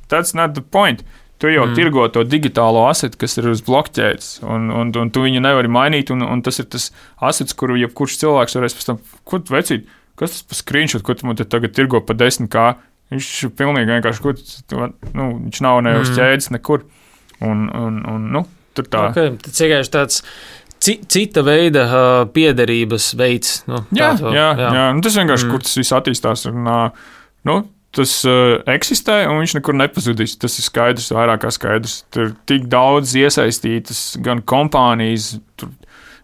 That's not the point. Tu jau mm. tirgo to digitālo asetu, kas ir uz blokķēdes, un, un, un tu viņu nevari mainīt, un, un tas ir tas asets, kuru jebkurš cilvēks varēs pēc tam, ko tu vecīt, kas tas pa screenshot, ko tu man te tagad tirgo pa desmit kā, viņš ir pilnīgi vienkārši, ko tu, nu, viņš nav ne uz ķēdes nekur, un, un, un nu, tur tā. Okay, tas vienkārši tāds cita veida uh, piederības veids. Nu, jā, to, jā, jā, jā. Nu, tas vienkārši, mm. kur tas viss attīstās. Un, uh, nu, tas uh, eksistē, un viņš nekur nepazudīs. Tas ir skaidrs, vairāk kā skaidrs. Tur ir tik daudz iesaistītas, gan kompānijas, tur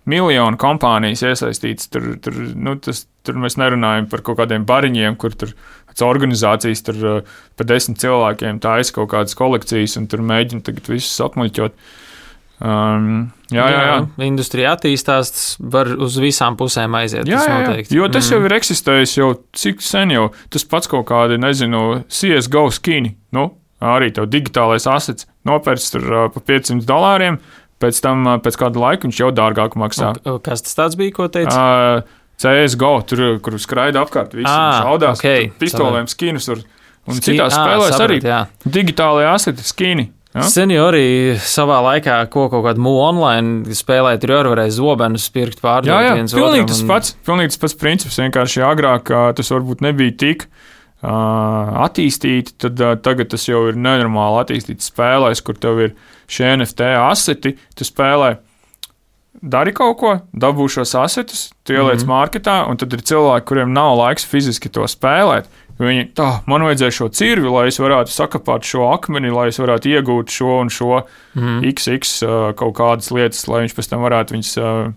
miljonu kompānijas iesaistītas. Tur, tur, nu, tas, tur mēs nerunājam par kaut kādiem bariņiem, kur tur organizācijas tur uh, pa desmit cilvēkiem taisa kaut kādas kolekcijas, un tur mēģina tagad visus apmuļķot. Um, jā, jā, jā. jā, industrija attīstās, var uz visām pusēm aiziet. Jā, tas jā, noteikti. jo tas mm. jau ir eksistējis jau cik sen jau. Tas pats kaut kādi, nezinu, C S G O skini, nu, arī tev digitālais asets nopērts tur uh, pa piecsimt dolāriem, pēc tam uh, pēc kāda laika viņš jau dārgāk maksā. O, kas tas tāds bija, ko teici? Uh, C S G O, tur, kur skraida apkārt, visi ah, šaudās, okay. pistolēm skinus, un, un Ski... citās ah, spēlēs saprat, arī jā. digitālajā aseti skini. Ja? Seniori savā laikā, ko kaut kādu mūlu online spēlēja, tur jau varēja zobenus pirkt pārdot jā, jā, viens pilnīgi otram. Tas un... pats, pilnīgi tas pats princips, vienkārši agrāk tas varbūt nebija tik uh, attīstīti, tad uh, tagad tas jau ir nenormāli attīstīts spēlēs, kur tev ir šie N F T aseti, tu spēlē, dari kaut ko, dabū šos asetus, tu ieliec mm-hmm. marketā, un tad ir cilvēki, kuriem nav laiks fiziski to spēlēt. Viņi, tā, man vajadzēja šo cirvi, lai es varētu sakapāt šo akmeni, lai es varētu iegūt šo un šo mm. X X uh, kaut kādas lietas, lai viņš pēc tam varētu viņas uh,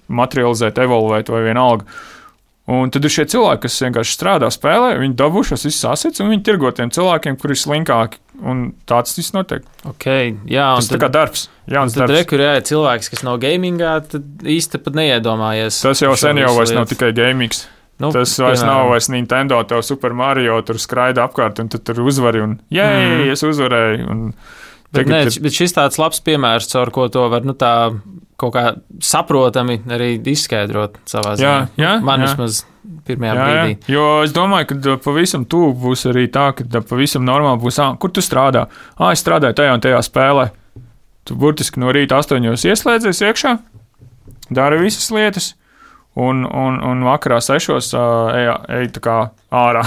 materializēt, evolvēt vai vienalga. Un tad ir šie cilvēki, kas vienkārši strādā, spēlē, viņi dabū šos visus asets un viņi tirgo tiem cilvēkiem, kuri ir slinkāki. Un tāds viss notiek. Okay, jā, tas ir tā kā darbs. Jauns tad darbs. Rekur, jā, cilvēks, kas nav gamingā, tad īsti pat neiedomājies. Tas jau sen jau vairs nav tikai gamings. Nu, tas vairs piemēram. Nav vairs Nintendo, tev Super Mario tur skraida apkārt, un tu tur uzvari, un jē, mm. es uzvarēju. Un bet, ne, ir... bet šis tāds labs piemērs, caur ko to var, nu tā, kaut kā saprotami arī izskaidrot savā ziņā. Jā, jā. Man jā. vismaz pirmajā jā, brīdī. Jā. Jo es domāju, ka pavisam tuvu būs arī tā, ka pavisam normāli būs, ā, kur tu strādā? Ā, es strādāju tajā un tajā spēlē. Tu burtiski no rīta astoņos ieslēdzies iekšā, dari visas lietas. Un, un, un vakarā sešos uh, ej, ej tā kā ārā.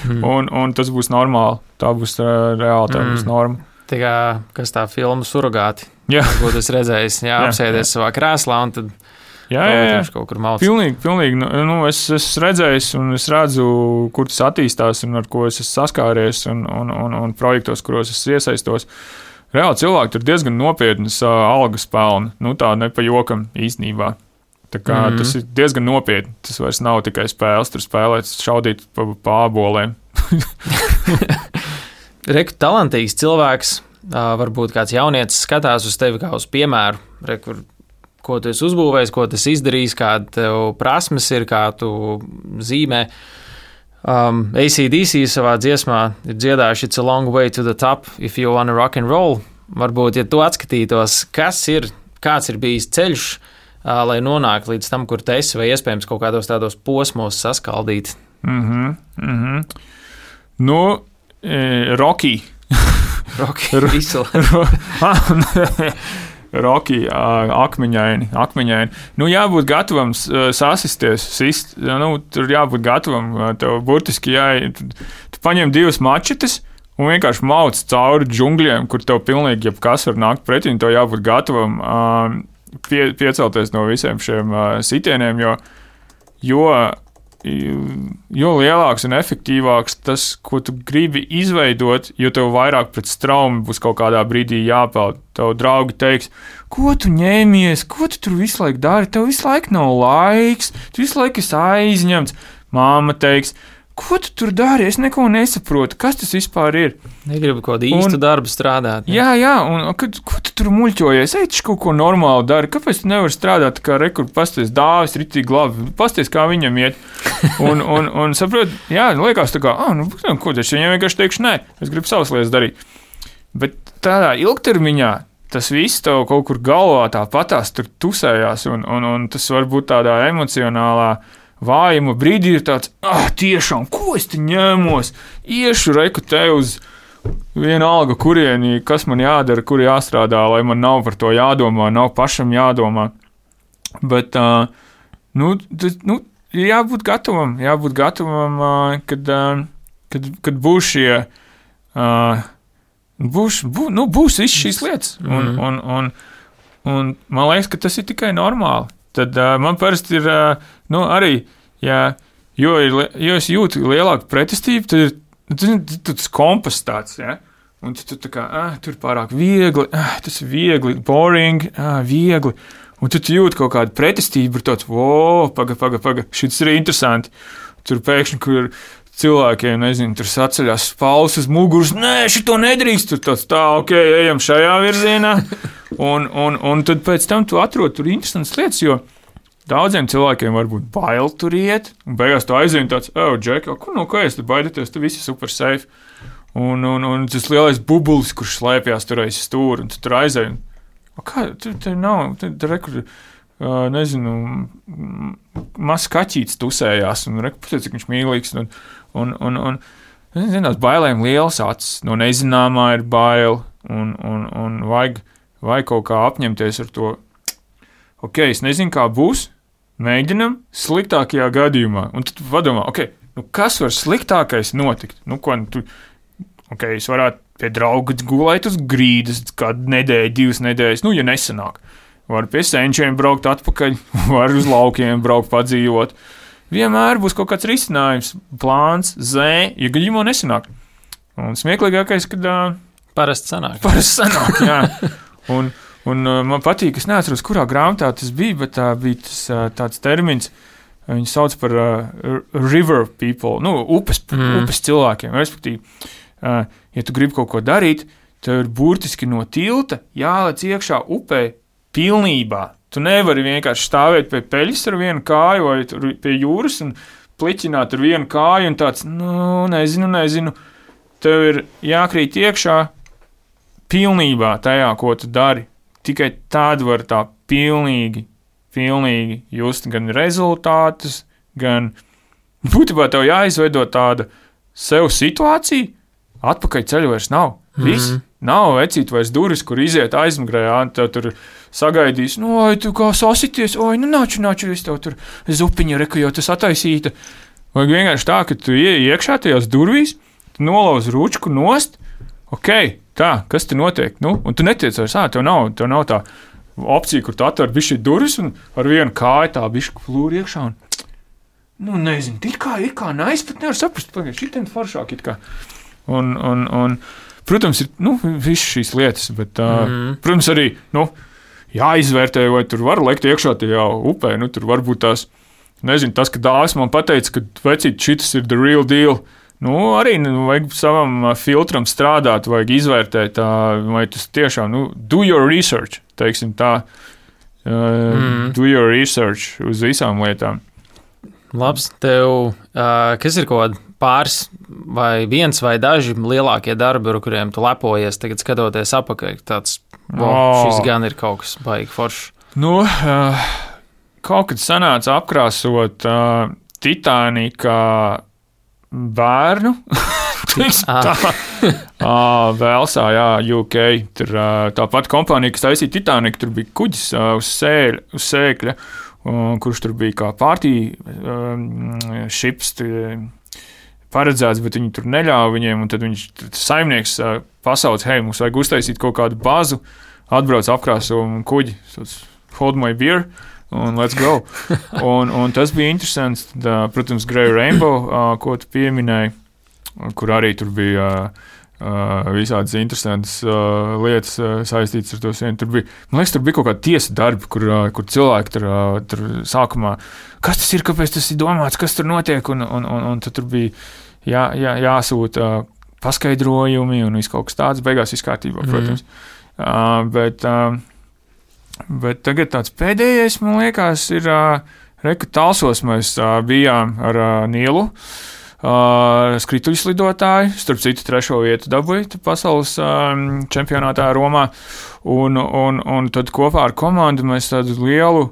mm. un, un tas būs normāli. Tā būs uh, reāli, tā mm. būs norma. Tā kā, kas tā filma surrogāti. Jā. Ko tu esi redzējis, jā, jā, apsēdies jā. Savā krēslā un tad jā, jā, jā. kaut kur mauc. Pilnīgi, pilnīgi. Nu, es esmu redzējis un es redzu, kur tas attīstās un ar ko es esmu saskāries un, un, un, un projektos, kuros es iesaistos. Reāli cilvēki tur diezgan nopietnas uh, algas pelna. Nu, tā ne pa jokam īstenībā. Tā kā mm-hmm. tas ir diezgan nopietni. Tas vairs nav tikai spēles, tur spēlēt, šaudīt pa, pa āboliem. Reku, talantīgs cilvēks, varbūt kāds jaunietis skatās uz tevi kā uz piemēru, Reku, ko tu esi uzbūvējis, ko tu esi izdarījis, kāda tev prasmes ir, kā tu zīmē. Um, A C D C savā dziesmā ir dziedājuši It's a long way to the top if you wanna rock and roll. Varbūt, ja tu atskatītos, kas ir, kāds ir bijis ceļš, lai nonāktu līdz tam, kur tu esi, vai iespējams kaut kādos tādos posmos saskaldīt. Mhm, mhm. Nu, e, Rocky. Rocky, visu. Rocky, akmeņaini, akmeņaini. Nu, jābūt gatavam sasisties, sist, nu, tur jābūt gatavam, tev burtiski jāi, tu, tu paņem divas mačetes un vienkārši mauc cauri džungļiem, kur tev pilnīgi jebkas var nākt pretī, un tev jābūt gatavam um, Pie, piecelties no visiem šiem uh, sitieniem, jo, jo, jo lielāks un efektīvāks tas, ko tu gribi izveidot, jo tev vairāk pret straumi būs kaut kādā brīdī jāpeld. Tev draugi teiks, ko tu ņēmies, ko tu tur visu laiku dari, tev visu laiku nav laiks, tu visu laiku esi aizņemts. Māma teiks, ko tu tur dari? Es neko nesaprotu. Kas tas vispār ir? Negribu kaut kādu īstu un, darbu strādāt. Jā, jā, un kad, ko tu tur muļķojies? Ej, taču kaut ko normāli dari. Kāpēc tu nevari strādāt kā rekur, pasties dāvis, ritīgi labi, pasties, kā viņam iet? Un, un, un saprot, jā, liekas tā kā, ah, nu, ko taču viņam vienkārši teikšu, nē, es gribu savas lietas darīt. Bet tādā ilgtermiņā tas viss tev kaut kur galvā tāpatās tur tusējās, un, un, un tas var būt tādā emocionālā vājuma brīdī ir tāds, ah, tiešām, ko es te ņēmos? Iešu reku te uz, vienalga, kurieni, kas man jādara, kur jāstrādā, lai man nav par to jādomā, nav pašam jādomā. Bet, uh, nu, t, nu, jābūt gatavam, jābūt gatavam, uh, kad, uh, kad, kad būs šie, uh, būs, bū, nu, būs viss šīs lietas. Un, mm. un, un, un man liekas, ka tas ir tikai normāli. Tad uh, man parasti ir, uh, nu, arī, ja, jo, ir, jo es jūtu lielāku pretestību, tad ir, tu, tas kompas tāds, ja? Un tu, tu tā kā, ah, tur pārāk viegli, ah, tas ir viegli, boring, ah, viegli. Un tu, tu jūti kaut kādu pretestību, ir tāds, wow, paga, paga, paga, šis ir interesanti. Tur pēkšņi, kur cilvēkiem, nezinu, tur saceļās spaules uz muguras, nē, šito nedrīkst, tur tāds, tā, ok, ejam šajā virzienā. Un, un, un tad pēc tam tu atrod tur interesantas lietas, jo daudziem cilvēkiem varbūt bail tur iet, un beigās tu aizvien tāds, oh, Džek, kur no ko es tu baidieties, tu visi super safe. Un, un, un tas lielais bubulis, kurš slēpjās tur aiz stūra, un tu tur aizēji. Kā, tur, tur nav, tur, tur rekur, uh, nezinu, mazs kaķītis tusējās, un rekur, pateic, cik viņš mīlīgs, un, un, un, un zinās, bailēm liels acis, no nezināmā ir bail, un, un, un vajag, vajag kaut kā apņemties ar to. Ok, es nezinu, kā būs, mēģinam sliktākajā gadījumā, un tad padomā, ok, nu kas var sliktākais notikt? Nu, ko, tu, ok, es varētu pie drauga gulēt uz grīdas kādu nedēļu, divas nedēļas, nu, ja nesanāk. Var pie senčiem braukt atpakaļ, var uz laukiem braukt padzīvot. Vienmēr būs kaut kāds risinājums, plāns, zē, ja gadījumā nesanāk. Un smieklīgākais, kad... Uh, parasti sanāk. Parasti sanāk, jā. Un, un uh, man patīk, es neatceros, kurā grāmatā tas bija, bet uh, bija tas uh, tāds termins, viņu sauc par uh, river people, nu, upes, mm. upes cilvēkiem, respektīvi. Uh, ja tu gribi kaut ko darīt, tev ir burtiski no tilta jālec iekšā upē pilnībā. Tu nevari vienkārši stāvēt pie peļas ar vienu kāju vai pie jūras un pliķināt ar vienu kāju un tāds, nu, nezinu, nezinu. Tev ir jākrīt iekšā pilnībā tajā, ko tu dari. Tikai tad var tā pilnīgi, pilnīgi just gan rezultātus, gan būtībā tev jāizveido tāda sev situācija, atpakaļ ceļu vairs nav. Viss. Mm-hmm. Nav vecīt vairs duris, kur iziet aizmugurē, tev tur sagaidīs, nu, oi, tu kā sasities, oi, nu, nāču, nāču, es tev tur zupiņa, reku, jau tas attaisīta. Vajag vienkārši tā, ka tu ieej iekšā tajās durvīs, tu nolauz ručku nost, ok, tā, kas te notiek? Nu, un tu netiec vairs, ā, tev nav, tev nav tā opcija, kur tu atver bišķi durvis un ar vienu kāju tā bišķi plūri iekšā un, nu, nezinu, it kā, it kā, nais, pat nevar saprast, pagaid, šitien foršāk it kā. Un, un, un, protams, ir, nu, visas šīs lietas, bet, uh, mm. protams, arī, nu, jāizvērtē, vai tur var lekt iekšā tajā upē, nu, tur varbūt tās, nezinu, tas, ka dāvis man pateica, ka, vecīt, šitas ir the real deal, nu, arī, nu, vajag savam filtram strādāt, vajag izvērtēt, tā, vai tas tiešām, nu, do your research, teiksim tā, uh, mm. do your research uz visām lietām. Labs, tev, uh, kas ir kaut kāda pāris vai viens vai daži lielākie darbi, ar kuriem tu lepojies, tagad skatoties apakaļ, tāds, wow, oh. šis gan ir kaut kas baigi foršs. Nu, uh, kaut kad sanāca apkrāsot uh, Titanika bērnu, tā, uh, Velsā, jā, U K, tur uh, tā pati kompānija, kas taisīja Titaniku, tur bija kuģis uh, uz, sēļ, uz sēkļa, uh, kurš tur bija kā partī uh, šips, uh, paredzēts, bet viņi tur neļāva viņiem, un tad viņš, saimnieks pasauc, hei, mums vajag uztaisīt kaut kādu bazu, atbrauc apkrāso kuģi, hold my beer, un let's go. un, un tas bija interesants, tad, protams, Grey Rainbow, ko tu pieminēji, kur arī tur bija visādas interesantas lietas saistītas ar to sienu. Tur bija, man liekas, tur bija kaut kāda tiesa darbi, kur, kur cilvēki tur, tur sākumā, kas tas ir, kāpēc tas ir domāts, kas tur notiek, un, un, un, un tad tur bija jā, jā, jāsūta paskaidrojumi un viss kaut kas tāds, beigās viss kārtībā, protams. Mm. Uh, bet, uh, bet tagad tāds pēdējais, man liekas, ir uh, reku Talsos mēs uh, bijām ar uh, Nielu, uh, skrituļslidotāji, starp citu trešo vietu dabūja pasaules uh, čempionātā Romā, un, un, un tad kopā ar komandu mēs tādu lielu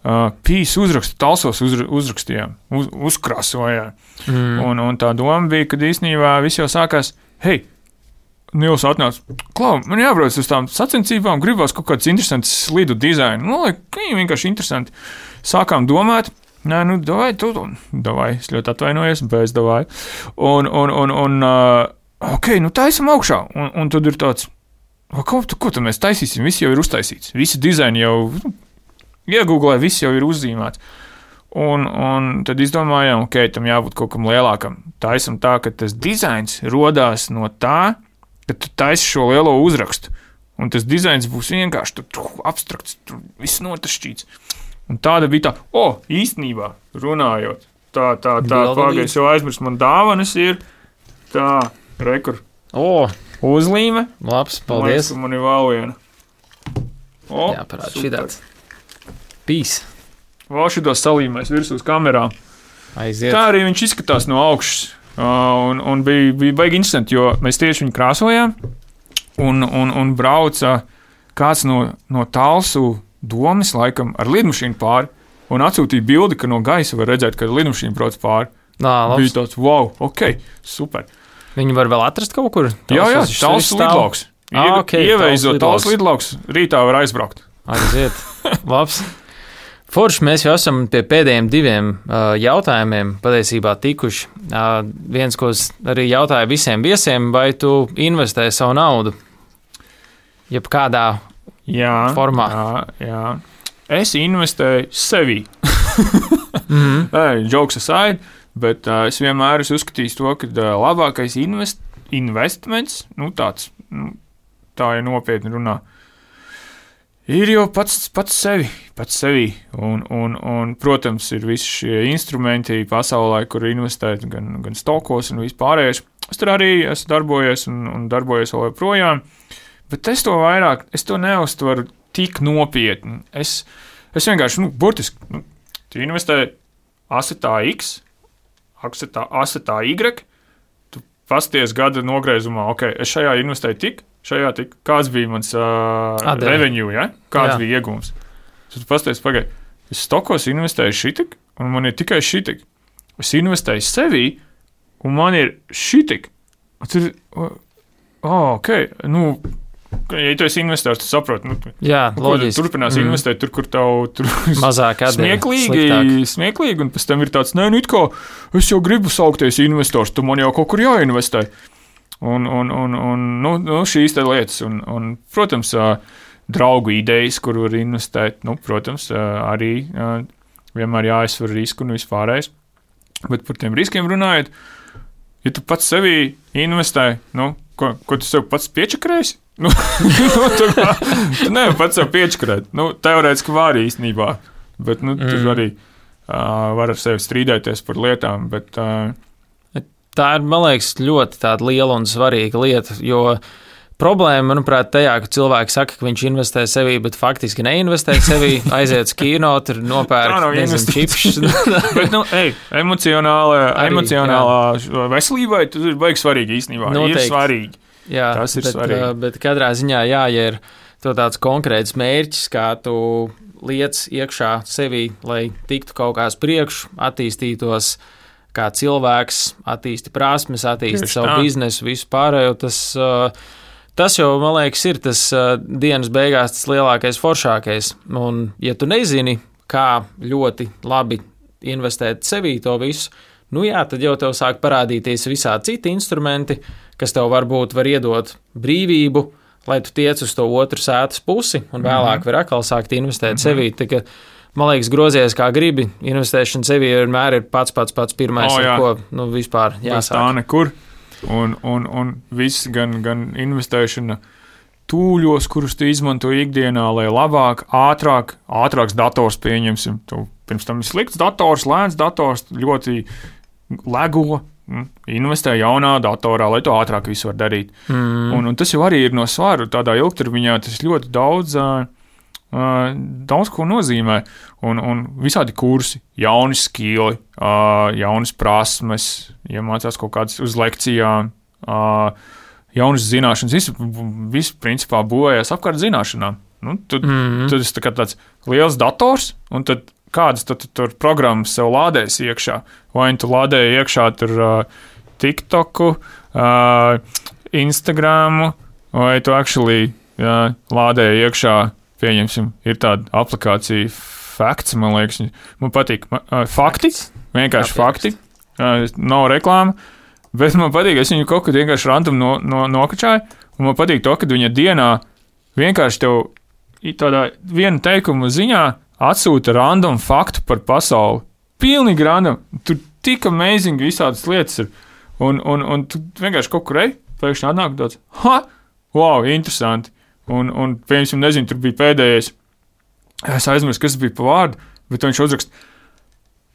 Uh, pīs uzrakstu, Talsos uz, uzrakstījām, uz, uzkrasojām. Mm. Un, un tā doma bija, ka īstenībā viss jau sākās, hei, Nils atnāca, klau, man jābrauc uz tām sacensībām, gribās kaut kāds interesants slidu dizainu. Nu, lai, viņi vienkārši interesanti. Sākām domāt, nē, nu, davai, tu, davai, es ļoti atvainojos, bez davai. Un, un, un, un uh, ok, nu, taisam augšā. Un, un tad ir tāds, ko, ko tad mēs taisīsim? Viss jau ir uztaisīts. Visi dizaini jau iegūglē, viss jau ir uzzīmēts. Un, un tad izdomājām, ok, tam jābūt kaut kam lielākam. Taisam tā, ka tas dizains rodās no tā, ka tu taisi šo lielo uzrakstu. Un tas dizains būs vienkārši tur abstrakts, tur viss notašķīts. Un tāda bija tā, o, oh, īstenībā runājot, tā, tā, tā, pagaies jau aizmirst, man dāvanas ir tā, rekur, o, uzlīme. Labs, paldies. Man, man ir vēl viena. O, jā, parād šitāds. Pīs. Vēl šitos salīmēs virsū uz kamerām. Aiziet. Tā arī viņš izskatās no augšas. Uh, un, un bija, bija baigi interesanti, jo mēs tieši viņu krāsojām, un, un, un brauca kāds no, no Talsu domas, laikam, ar lidmašīnu pāri, un atsūtīja bildi, ka no gaisa var redzēt, ka lidmašīna brauc pāri. Nā, labs. Bija tāds, wow, ok, super. Viņu var vēl atrast kaut kur? Jā, jā, Talsu lidlauks. Ah, okay, Ieveizot Talsu lidlauks, rītā var aizbraukt. Aiziet, labs. Forši, mēs jau esam pie pēdējiem diviem uh, jautājumiem patiesībā tikuši. Uh, viens, ko es arī jautāju visiem viesiem, vai tu investē savu naudu? Jeb kādā jā, formā? Jā, jā. Es investēju sevī. mm-hmm. Hey, jokes aside, bet uh, es vienmēr esmu uzskatījis to, ka uh, labākais invest, investments, nu tāds, nu, tā ir nopietni runā, ir jau pats, pats sevi, pats sevi. Un, un, un, protams, ir visi šie instrumenti pasaulē, kur investēt gan, gan stokos un vispārējais. Es tur arī esmu darbojies un, un darbojies vēl joprojām, bet es to vairāk, es to neuztveru tik nopietni. Es, es vienkārši, nu, burtiski, nu, tu investē asetā X, asetā, asetā Y, tu pasties gada nogriezumā, ok, es šajā investēju tik, šajā tik, kāds bija mans uh, revenue, ja? Kāds jā. Bija iegūms. Tad pasties, pagaid, es stokos investēju šitik, un man ir tikai šitik. Es investēju sevī, un man ir šitik. Tad, oh, ok, nu, ja tu esi investors, tu saproti, nu, jā, loģiski. Turpinās mm. investēt tur, kur tev tur mazāk smieklīgi, smieklīgi, un pēc tam ir tāds, nē, nu, it kā, es jau gribu saukties investors, tu man jau kaut kur jāinvestē. Un, un, un, un nu, nu, šīs te lietas, un, un, protams, draugu idejas, kur var investēt, nu, protams, arī vienmēr jāizsver risku un vispārējais. Bet par tiem riskiem runājot, ja tu pats sevī investē, nu, ko, ko tu sev pats piečakrēsi? Nu, tu, tu nevari pats sev piečakrēt. Nu, teorētiski var īstenībā, bet, nu, mm. tur arī uh, var ar sevi strīdēties par lietām, bet... Uh, Tā ir, man liekas, ļoti tāda liela un svarīga lieta, jo problēma, manuprāt, tajā, ka cilvēki saka, ka viņš investē sevī, bet faktiski neinvestē sevī, aiziet uz kino, tur nopērk, nezinu, čipšus. Bet, nu, ej, emocionālā, emocionālā veselībai tas ir baigi svarīgi īstenībā. Noteikti. Ir svarīgi. Jā, tas ir bet, svarīgi. Bet katrā ziņā, jā, ja ir to tāds konkrēts mērķis, kā tu liec iekšā sevī, lai tiktu kaut kāds priekš, attīstītos kā cilvēks, attīsti prasmes, attīsti savu tā. Biznesu, visu pārējo, tas, tas jau, man liekas, ir tas dienas beigās tas lielākais, foršākais. Un, ja tu nezini, kā ļoti labi investēt sevī to visu, nu jā, tad jau tev sāk parādīties visādi citi instrumenti, kas tev varbūt var iedot brīvību, lai tu tiec uz to otru sētas pusi, un vēlāk mm-hmm. var atkal sākt investēt mm-hmm. sevī. Tā, ka, man liekas, grozies kā gribi, investēšana sevī vienmēr ir pats, pats, pats pirmais, oh, ar ko nu, vispār jāsāk. Tā nekur. Un, un, un viss gan, gan investēšana tūļos, kurus tu izmanto ikdienā, lai labāk, ātrāk, ātrāks dators pieņemsim. Tu, pirms tam ir slikts dators, lēns dators, ļoti lego. Investē jaunā datorā, lai to ātrāk visu var darīt. Mm. Un, un tas jau arī ir no svaru. Tādā ilgtermiņā tas ļoti daudz... Uh, Uh, daudz ko nozīmē, un, un visādi kursi, jauni skili, uh, jaunas prasmes, iemācās kaut kādas uz lekcijām, uh, jaunas zināšanas, visu, visu principā būvējās apkārt zināšanām. Nu, tad, mm-hmm. tad tas tā kā tāds liels dators, un tad kādas tad tur programmas sev lādēs iekšā, vai tu lādēji iekšā tur uh, TikToku, uh, Instagramu, vai tu actually jā, lādēji iekšā, pieņemsim, ir tāda aplikācija Facts, man liekas, man patīk. Uh, fakti, vienkārši Jā, fakti, uh, nav reklāma, bet man patīk, es viņu kaut kad vienkārši random no, no, nokačāju, un man patīk to, ka viņa dienā vienkārši tev tādā viena teikuma ziņā atsūta random faktu par pasauli. Pilnīgi random. Tur tik amazing visādas lietas ir. Un, un, un tu vienkārši kaut kur ej, pēkšņi atnāk tāds, ha, wow, interesanti. Un, un piemēram, nezinu, tur bija pēdējais. Es aizmirsu, kas bija pa vārdu, bet viņš uzrakst.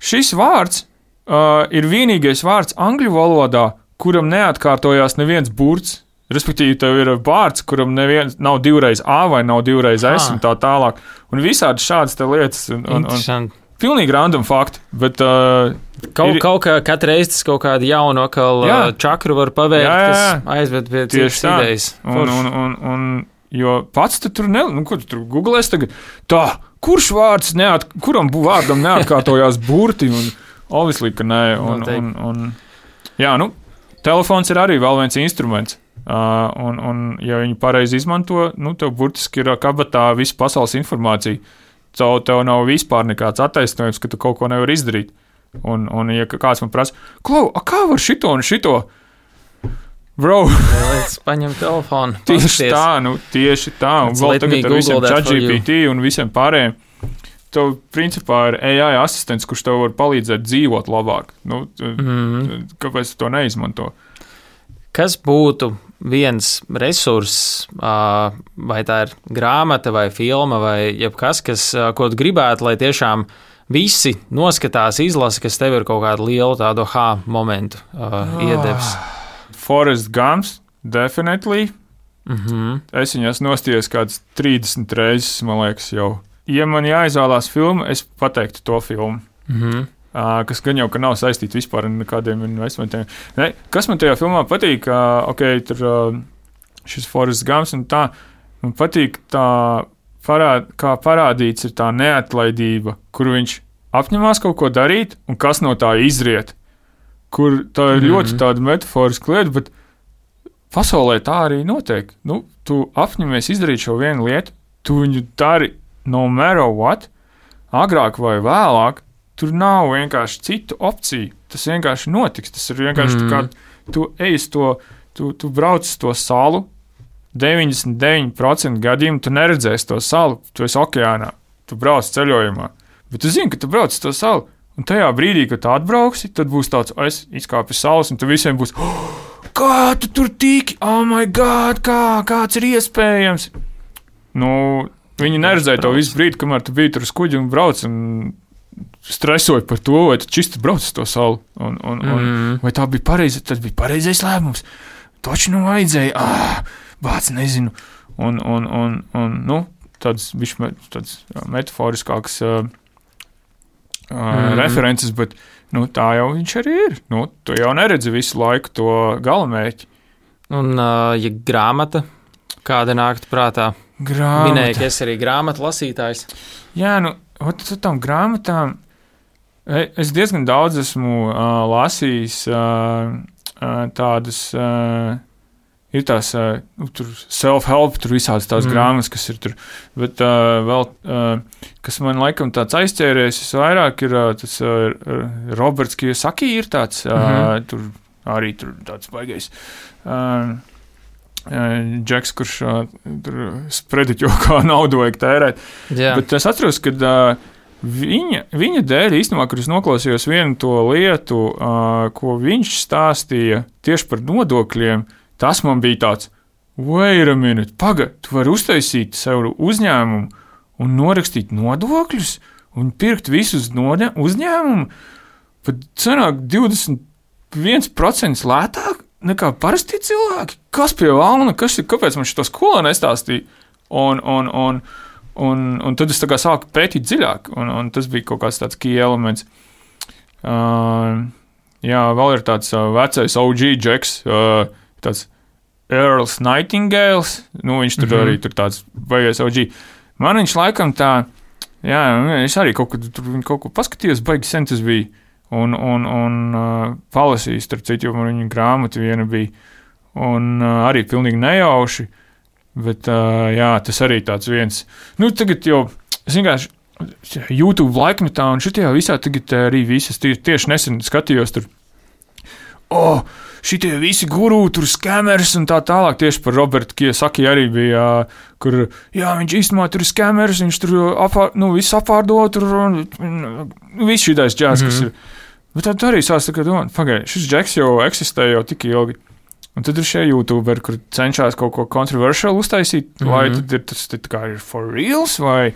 Šis vārds uh, ir vienīgais vārds angļu valodā, kuram neatkārtojās neviens burts. Respektīvi, tev ir vārds, kuram neviens nav divreiz A vai nav divreiz S ah. un tā tālāk. Un visādi šādas te lietas. Un, un, un pilnīgi random fakti, bet... Uh, kaut, ir, kaut kā katru reizi tas kaut kādu jaunu akal jā. čakru var pavērt, jā, jā, jā. kas aizved pie citas idejas. Un, un, un, un, jo pats tu tur ne... Nu, ko tu tur googlēs tagad? Tā, kurš vārds neat... Kuram vārdam neatkārtojās burti? Un obviously, ka nē. Un, un, un, jā, nu, telefons ir arī vēl viens instruments. Uh, un, un, ja viņi pareizi izmanto, nu, tev burtiski ir kabatā visa pasaules informācija. Tev, tev nav vispār nekāds attaisnojums, ka tu kaut ko nevar izdarīt. Un, un ja kāds man prasa, Klau, a kā var šito un šito? Bro. Es paņem telefonu. Tieši tā, nu, tieši tā. Un Let's vēl tagad ar visiem ChatGPT un visiem pārējiem. Tev, principā, ir A I asistents, kurš tev var palīdzēt dzīvot labāk. Nu, mm-hmm. Kāpēc tu to neizmanto? Kas būtu viens resurss, vai tā ir grāmata vai filma vai jebkas, kas, ko tu gribētu, lai tiešām visi noskatās, izlasa, kas tev ir kaut kādu lielu tādu ha momentu uh, iedevis? Forrest Gumps, definitely. Mm-hmm. Es viņu esmu nostījies kāds trīsdesmit reizes, man liekas, jau. Ja man jāizvēlās filmu, es pateiktu to filmu. Mm-hmm. Uh, kas gan jau ka nav saistīts vispār ar kādiem investmentiem. Ne, kas man tajā filmā patīk, uh, ok, tur uh, šis Forrest Gumps un tā, man patīk tā, parād, kā parādīts ir tā neatlaidība, kur viņš apņemās kaut ko darīt un kas no tā izriet. Kur tā ir mm-hmm. ļoti tāda metaforiska lieta, bet pasaulē tā arī notiek. Nu, tu apņemies izdarīt šo vienu lietu, tu viņu dari no matter what, agrāk vai vēlāk. Tur nav vienkārši citu opciju. Tas vienkārši notiks. Tas ir vienkārši mm. tā kā tu ej uz to, tu, tu brauc uz to salu, deviņdesmit deviņi procenti gadījumu tu neredzēsi to salu, tu esi okeānā, tu brauc ceļojumā. Bet tu zini, ka tu brauc uz to salu, un tajā brīdī, kad tu atbrauksi, tad būs tāds, o, es izkāpu uz salas, un tu visiem būs, oh, kā tu tur tiki, oh my god, kā, kāds ir iespējams? Nu, viņi neredzēja to visu brīdi, kamēr tu biji tur uz kuģi un brauc, un stresoju par to, vai tu čisti brauc uz to salu, un, un, mm. un vai tā bija pareizi, tas bija pareizais lēmums. Taču nu vajadzēja, ah, bāc, nezinu. Un, un, un, un nu, tāds bišķi tāds metaforiskāks uh, mm. references, bet, nu, tā jau viņš arī ir. Nu, tu jau neredzi visu laiku to galamērķi. Un, uh, ja grāmata, kāda nāktu prātā? Grāmata. Minēja, ka es arī grāmatu lasītājs. Jā, nu, ot, tām grāmatām es diezgan daudz esmu uh, lasījis uh, uh, tādas, uh, ir tās uh, tur self-help, tur visādas tās mm. grāmatas, kas ir tur, bet uh, vēl, uh, kas man laikam tāds aizķēries, es vairāk ir uh, tas uh, Roberts Kiyosaki ir tāds, uh, mm-hmm. tur arī tur tāds baigais. Uh, Džeks, kurš uh, tur sprediķo, kā naudu vajag tērēt. Jā. Bet es atceros, ka uh, viņa, viņa dēļ īstenībā, kur es noklausījos vienu to lietu, uh, ko viņš stāstīja tieši par nodokļiem, tas man bija tāds, wait a minute, paga, tu vari uztaisīt sev uzņēmumu un norakstīt nodokļus un pirkt visus nodē, uzņēmumu, pat cenāk divdesmit viens procents lētāk nekā parasti cilvēki. Kas pie valna, kas ir, kāpēc man šito skolā nestāstīja? Un, un, un, un, un tad es tā kā sāku pētīt dziļāk, un, un tas bija kaut kāds tāds key elements. Uh, jā, vēl ir tāds uh, vecais O G Džeks, uh, tāds Earls Nightingales, nu viņš tur mm-hmm. arī tur tāds baigais O G. Man viņš laikam tā, jā, es arī kaut ko, tur kaut ko paskatījos, baigi sen tas bija. Un, un, un uh, palasījis, starp citu, jo man viņa grāmata viena bija. un uh, arī pilnīgi nejauši, bet uh, jā, tas arī tāds viens. Nu, tagad jau, es vienkārši YouTube laikmetā un šitajā visā tagad arī visas tie, tieši nesen skatījos tur, o, oh, šitie visi guru, tur skamers un tā tālāk, tieši par Robertu Kiyosaki arī bija, kur, jā, viņš īstenībā tur ir skamers, viņš tur apār, nu, viss apārdo, tur, nu, viss šitais džēs, mm-hmm. kas ir. Bet tad arī sāc tā, ka, domā, pagai, šis džeks jau eksistē jau tik ilgi. Un tad ir šie YouTuberi, kur cenšas kaut ko controversial uztaisīt, mm-hmm. vai tad ir tas tā kā ir for reals, vai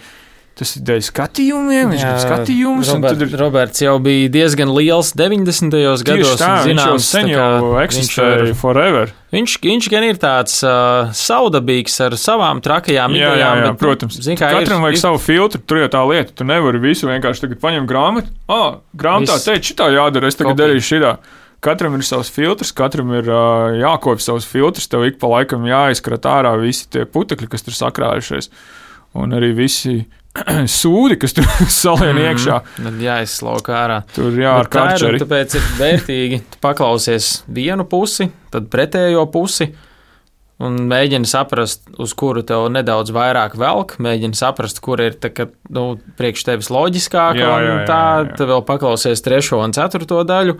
tas ir dēļ skatījumiem, viņš grib skatījumus. Robert, ir... Roberts jau bija diezgan liels deviņdesmitajos gados. Tā, zināms, viņš jau sen jau eksistēja ir, forever. Viņš, viņš gan ir tāds uh, saudabīgs ar savām trakajām jā, idejām. Jā, jā, bet, protams. Zin, Katram ir, vajag ir... savu filtru, tur jau tā lieta. Tu nevari visu vienkārši tagad paņemt grāmatu. Ah, grāmatā Viss. teikt, šitā jādara, es tagad Kopīgi. darīšu šitā. Katram ir savs filtrs, katram ir uh, jākopj savs filtrs, tev ik pa laikam jāizskrat ārā visi tie putekļi, kas tur sakrājušies. Un arī visi sūdi, kas tur salien mm, iekšā. Tad jāizslauka ārā. Tur jā, ar karčeri. Tāpēc ir vērtīgi paklausies vienu pusi, tad pretējo pusi un mēģini saprast, uz kuru tev nedaudz vairāk velk, mēģini saprast, kur ir tā, ka, nu, priekš tevis loģiskāk, jā, jā, un tā, jā, jā. tad vēl paklausies trešo un ceturto daļu,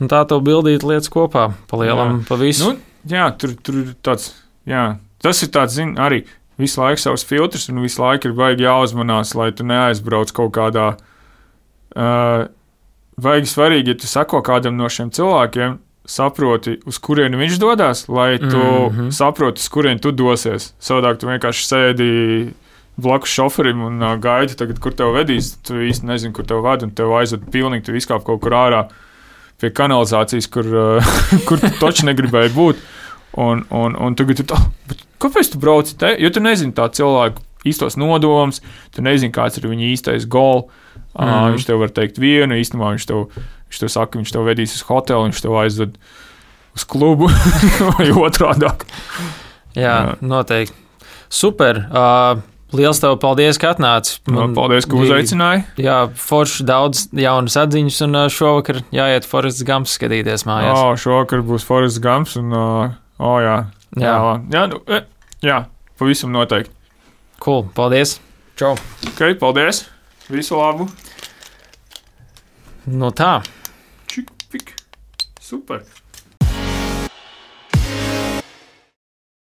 un tā tev bildīt lietas kopā, pa lielam, jā. Pa visu. Nu, jā, tur, tur ir tāds, jā, tas ir tāds, zin, arī visu laiku savs filtrs, un visu laiku ir vajag jāuzmanās, lai tu neaizbrauc kaut kādā, uh, vajag svarīgi, ja tu sako kādam no šiem cilvēkiem, saproti, uz kurieni viņš dodās, lai tu mm-hmm. saproti, uz kurieni tu dosies. Savādāk tu vienkārši sēdi blakus šoferim un uh, gaidi tagad, kur tev vedīs, tu īsti nezini, kur tev ved, un tev aizved pilnīgi, tu izkāp kaut kur ārā pie kanalizācijas, kur, uh, kur tu toči negribēji būt. Un, un, un tagad tu tā, bet kāpēc tu brauci te? Jo tu nezini tā cilvēku īstos nodomus, tu nezini, kāds ir viņa īstais goal. Mm. Uh, viņš tev var teikt vienu, īstenībā viņš tev, viņš tev saka, viņš tev vedīs uz hotelu, viņš tev aizved uz klubu vai otrādāk. Jā, Jā, noteikti. Super. Uh, liels tev paldies, ka atnāci. Man paldies, ka uzaicināji. Jā, forši daudz jaunas atziņas, un uh, šovakar jāiet Forests Gumps skatīties mājās. O, šovakar būs Forests Gumps, un, uh, o, jā. Jā, jā, jā, nu, jā, pavisam noteikti. Cool, paldies. Čau. Ok, paldies. Visu labu. No tā. Čik, pik. Super.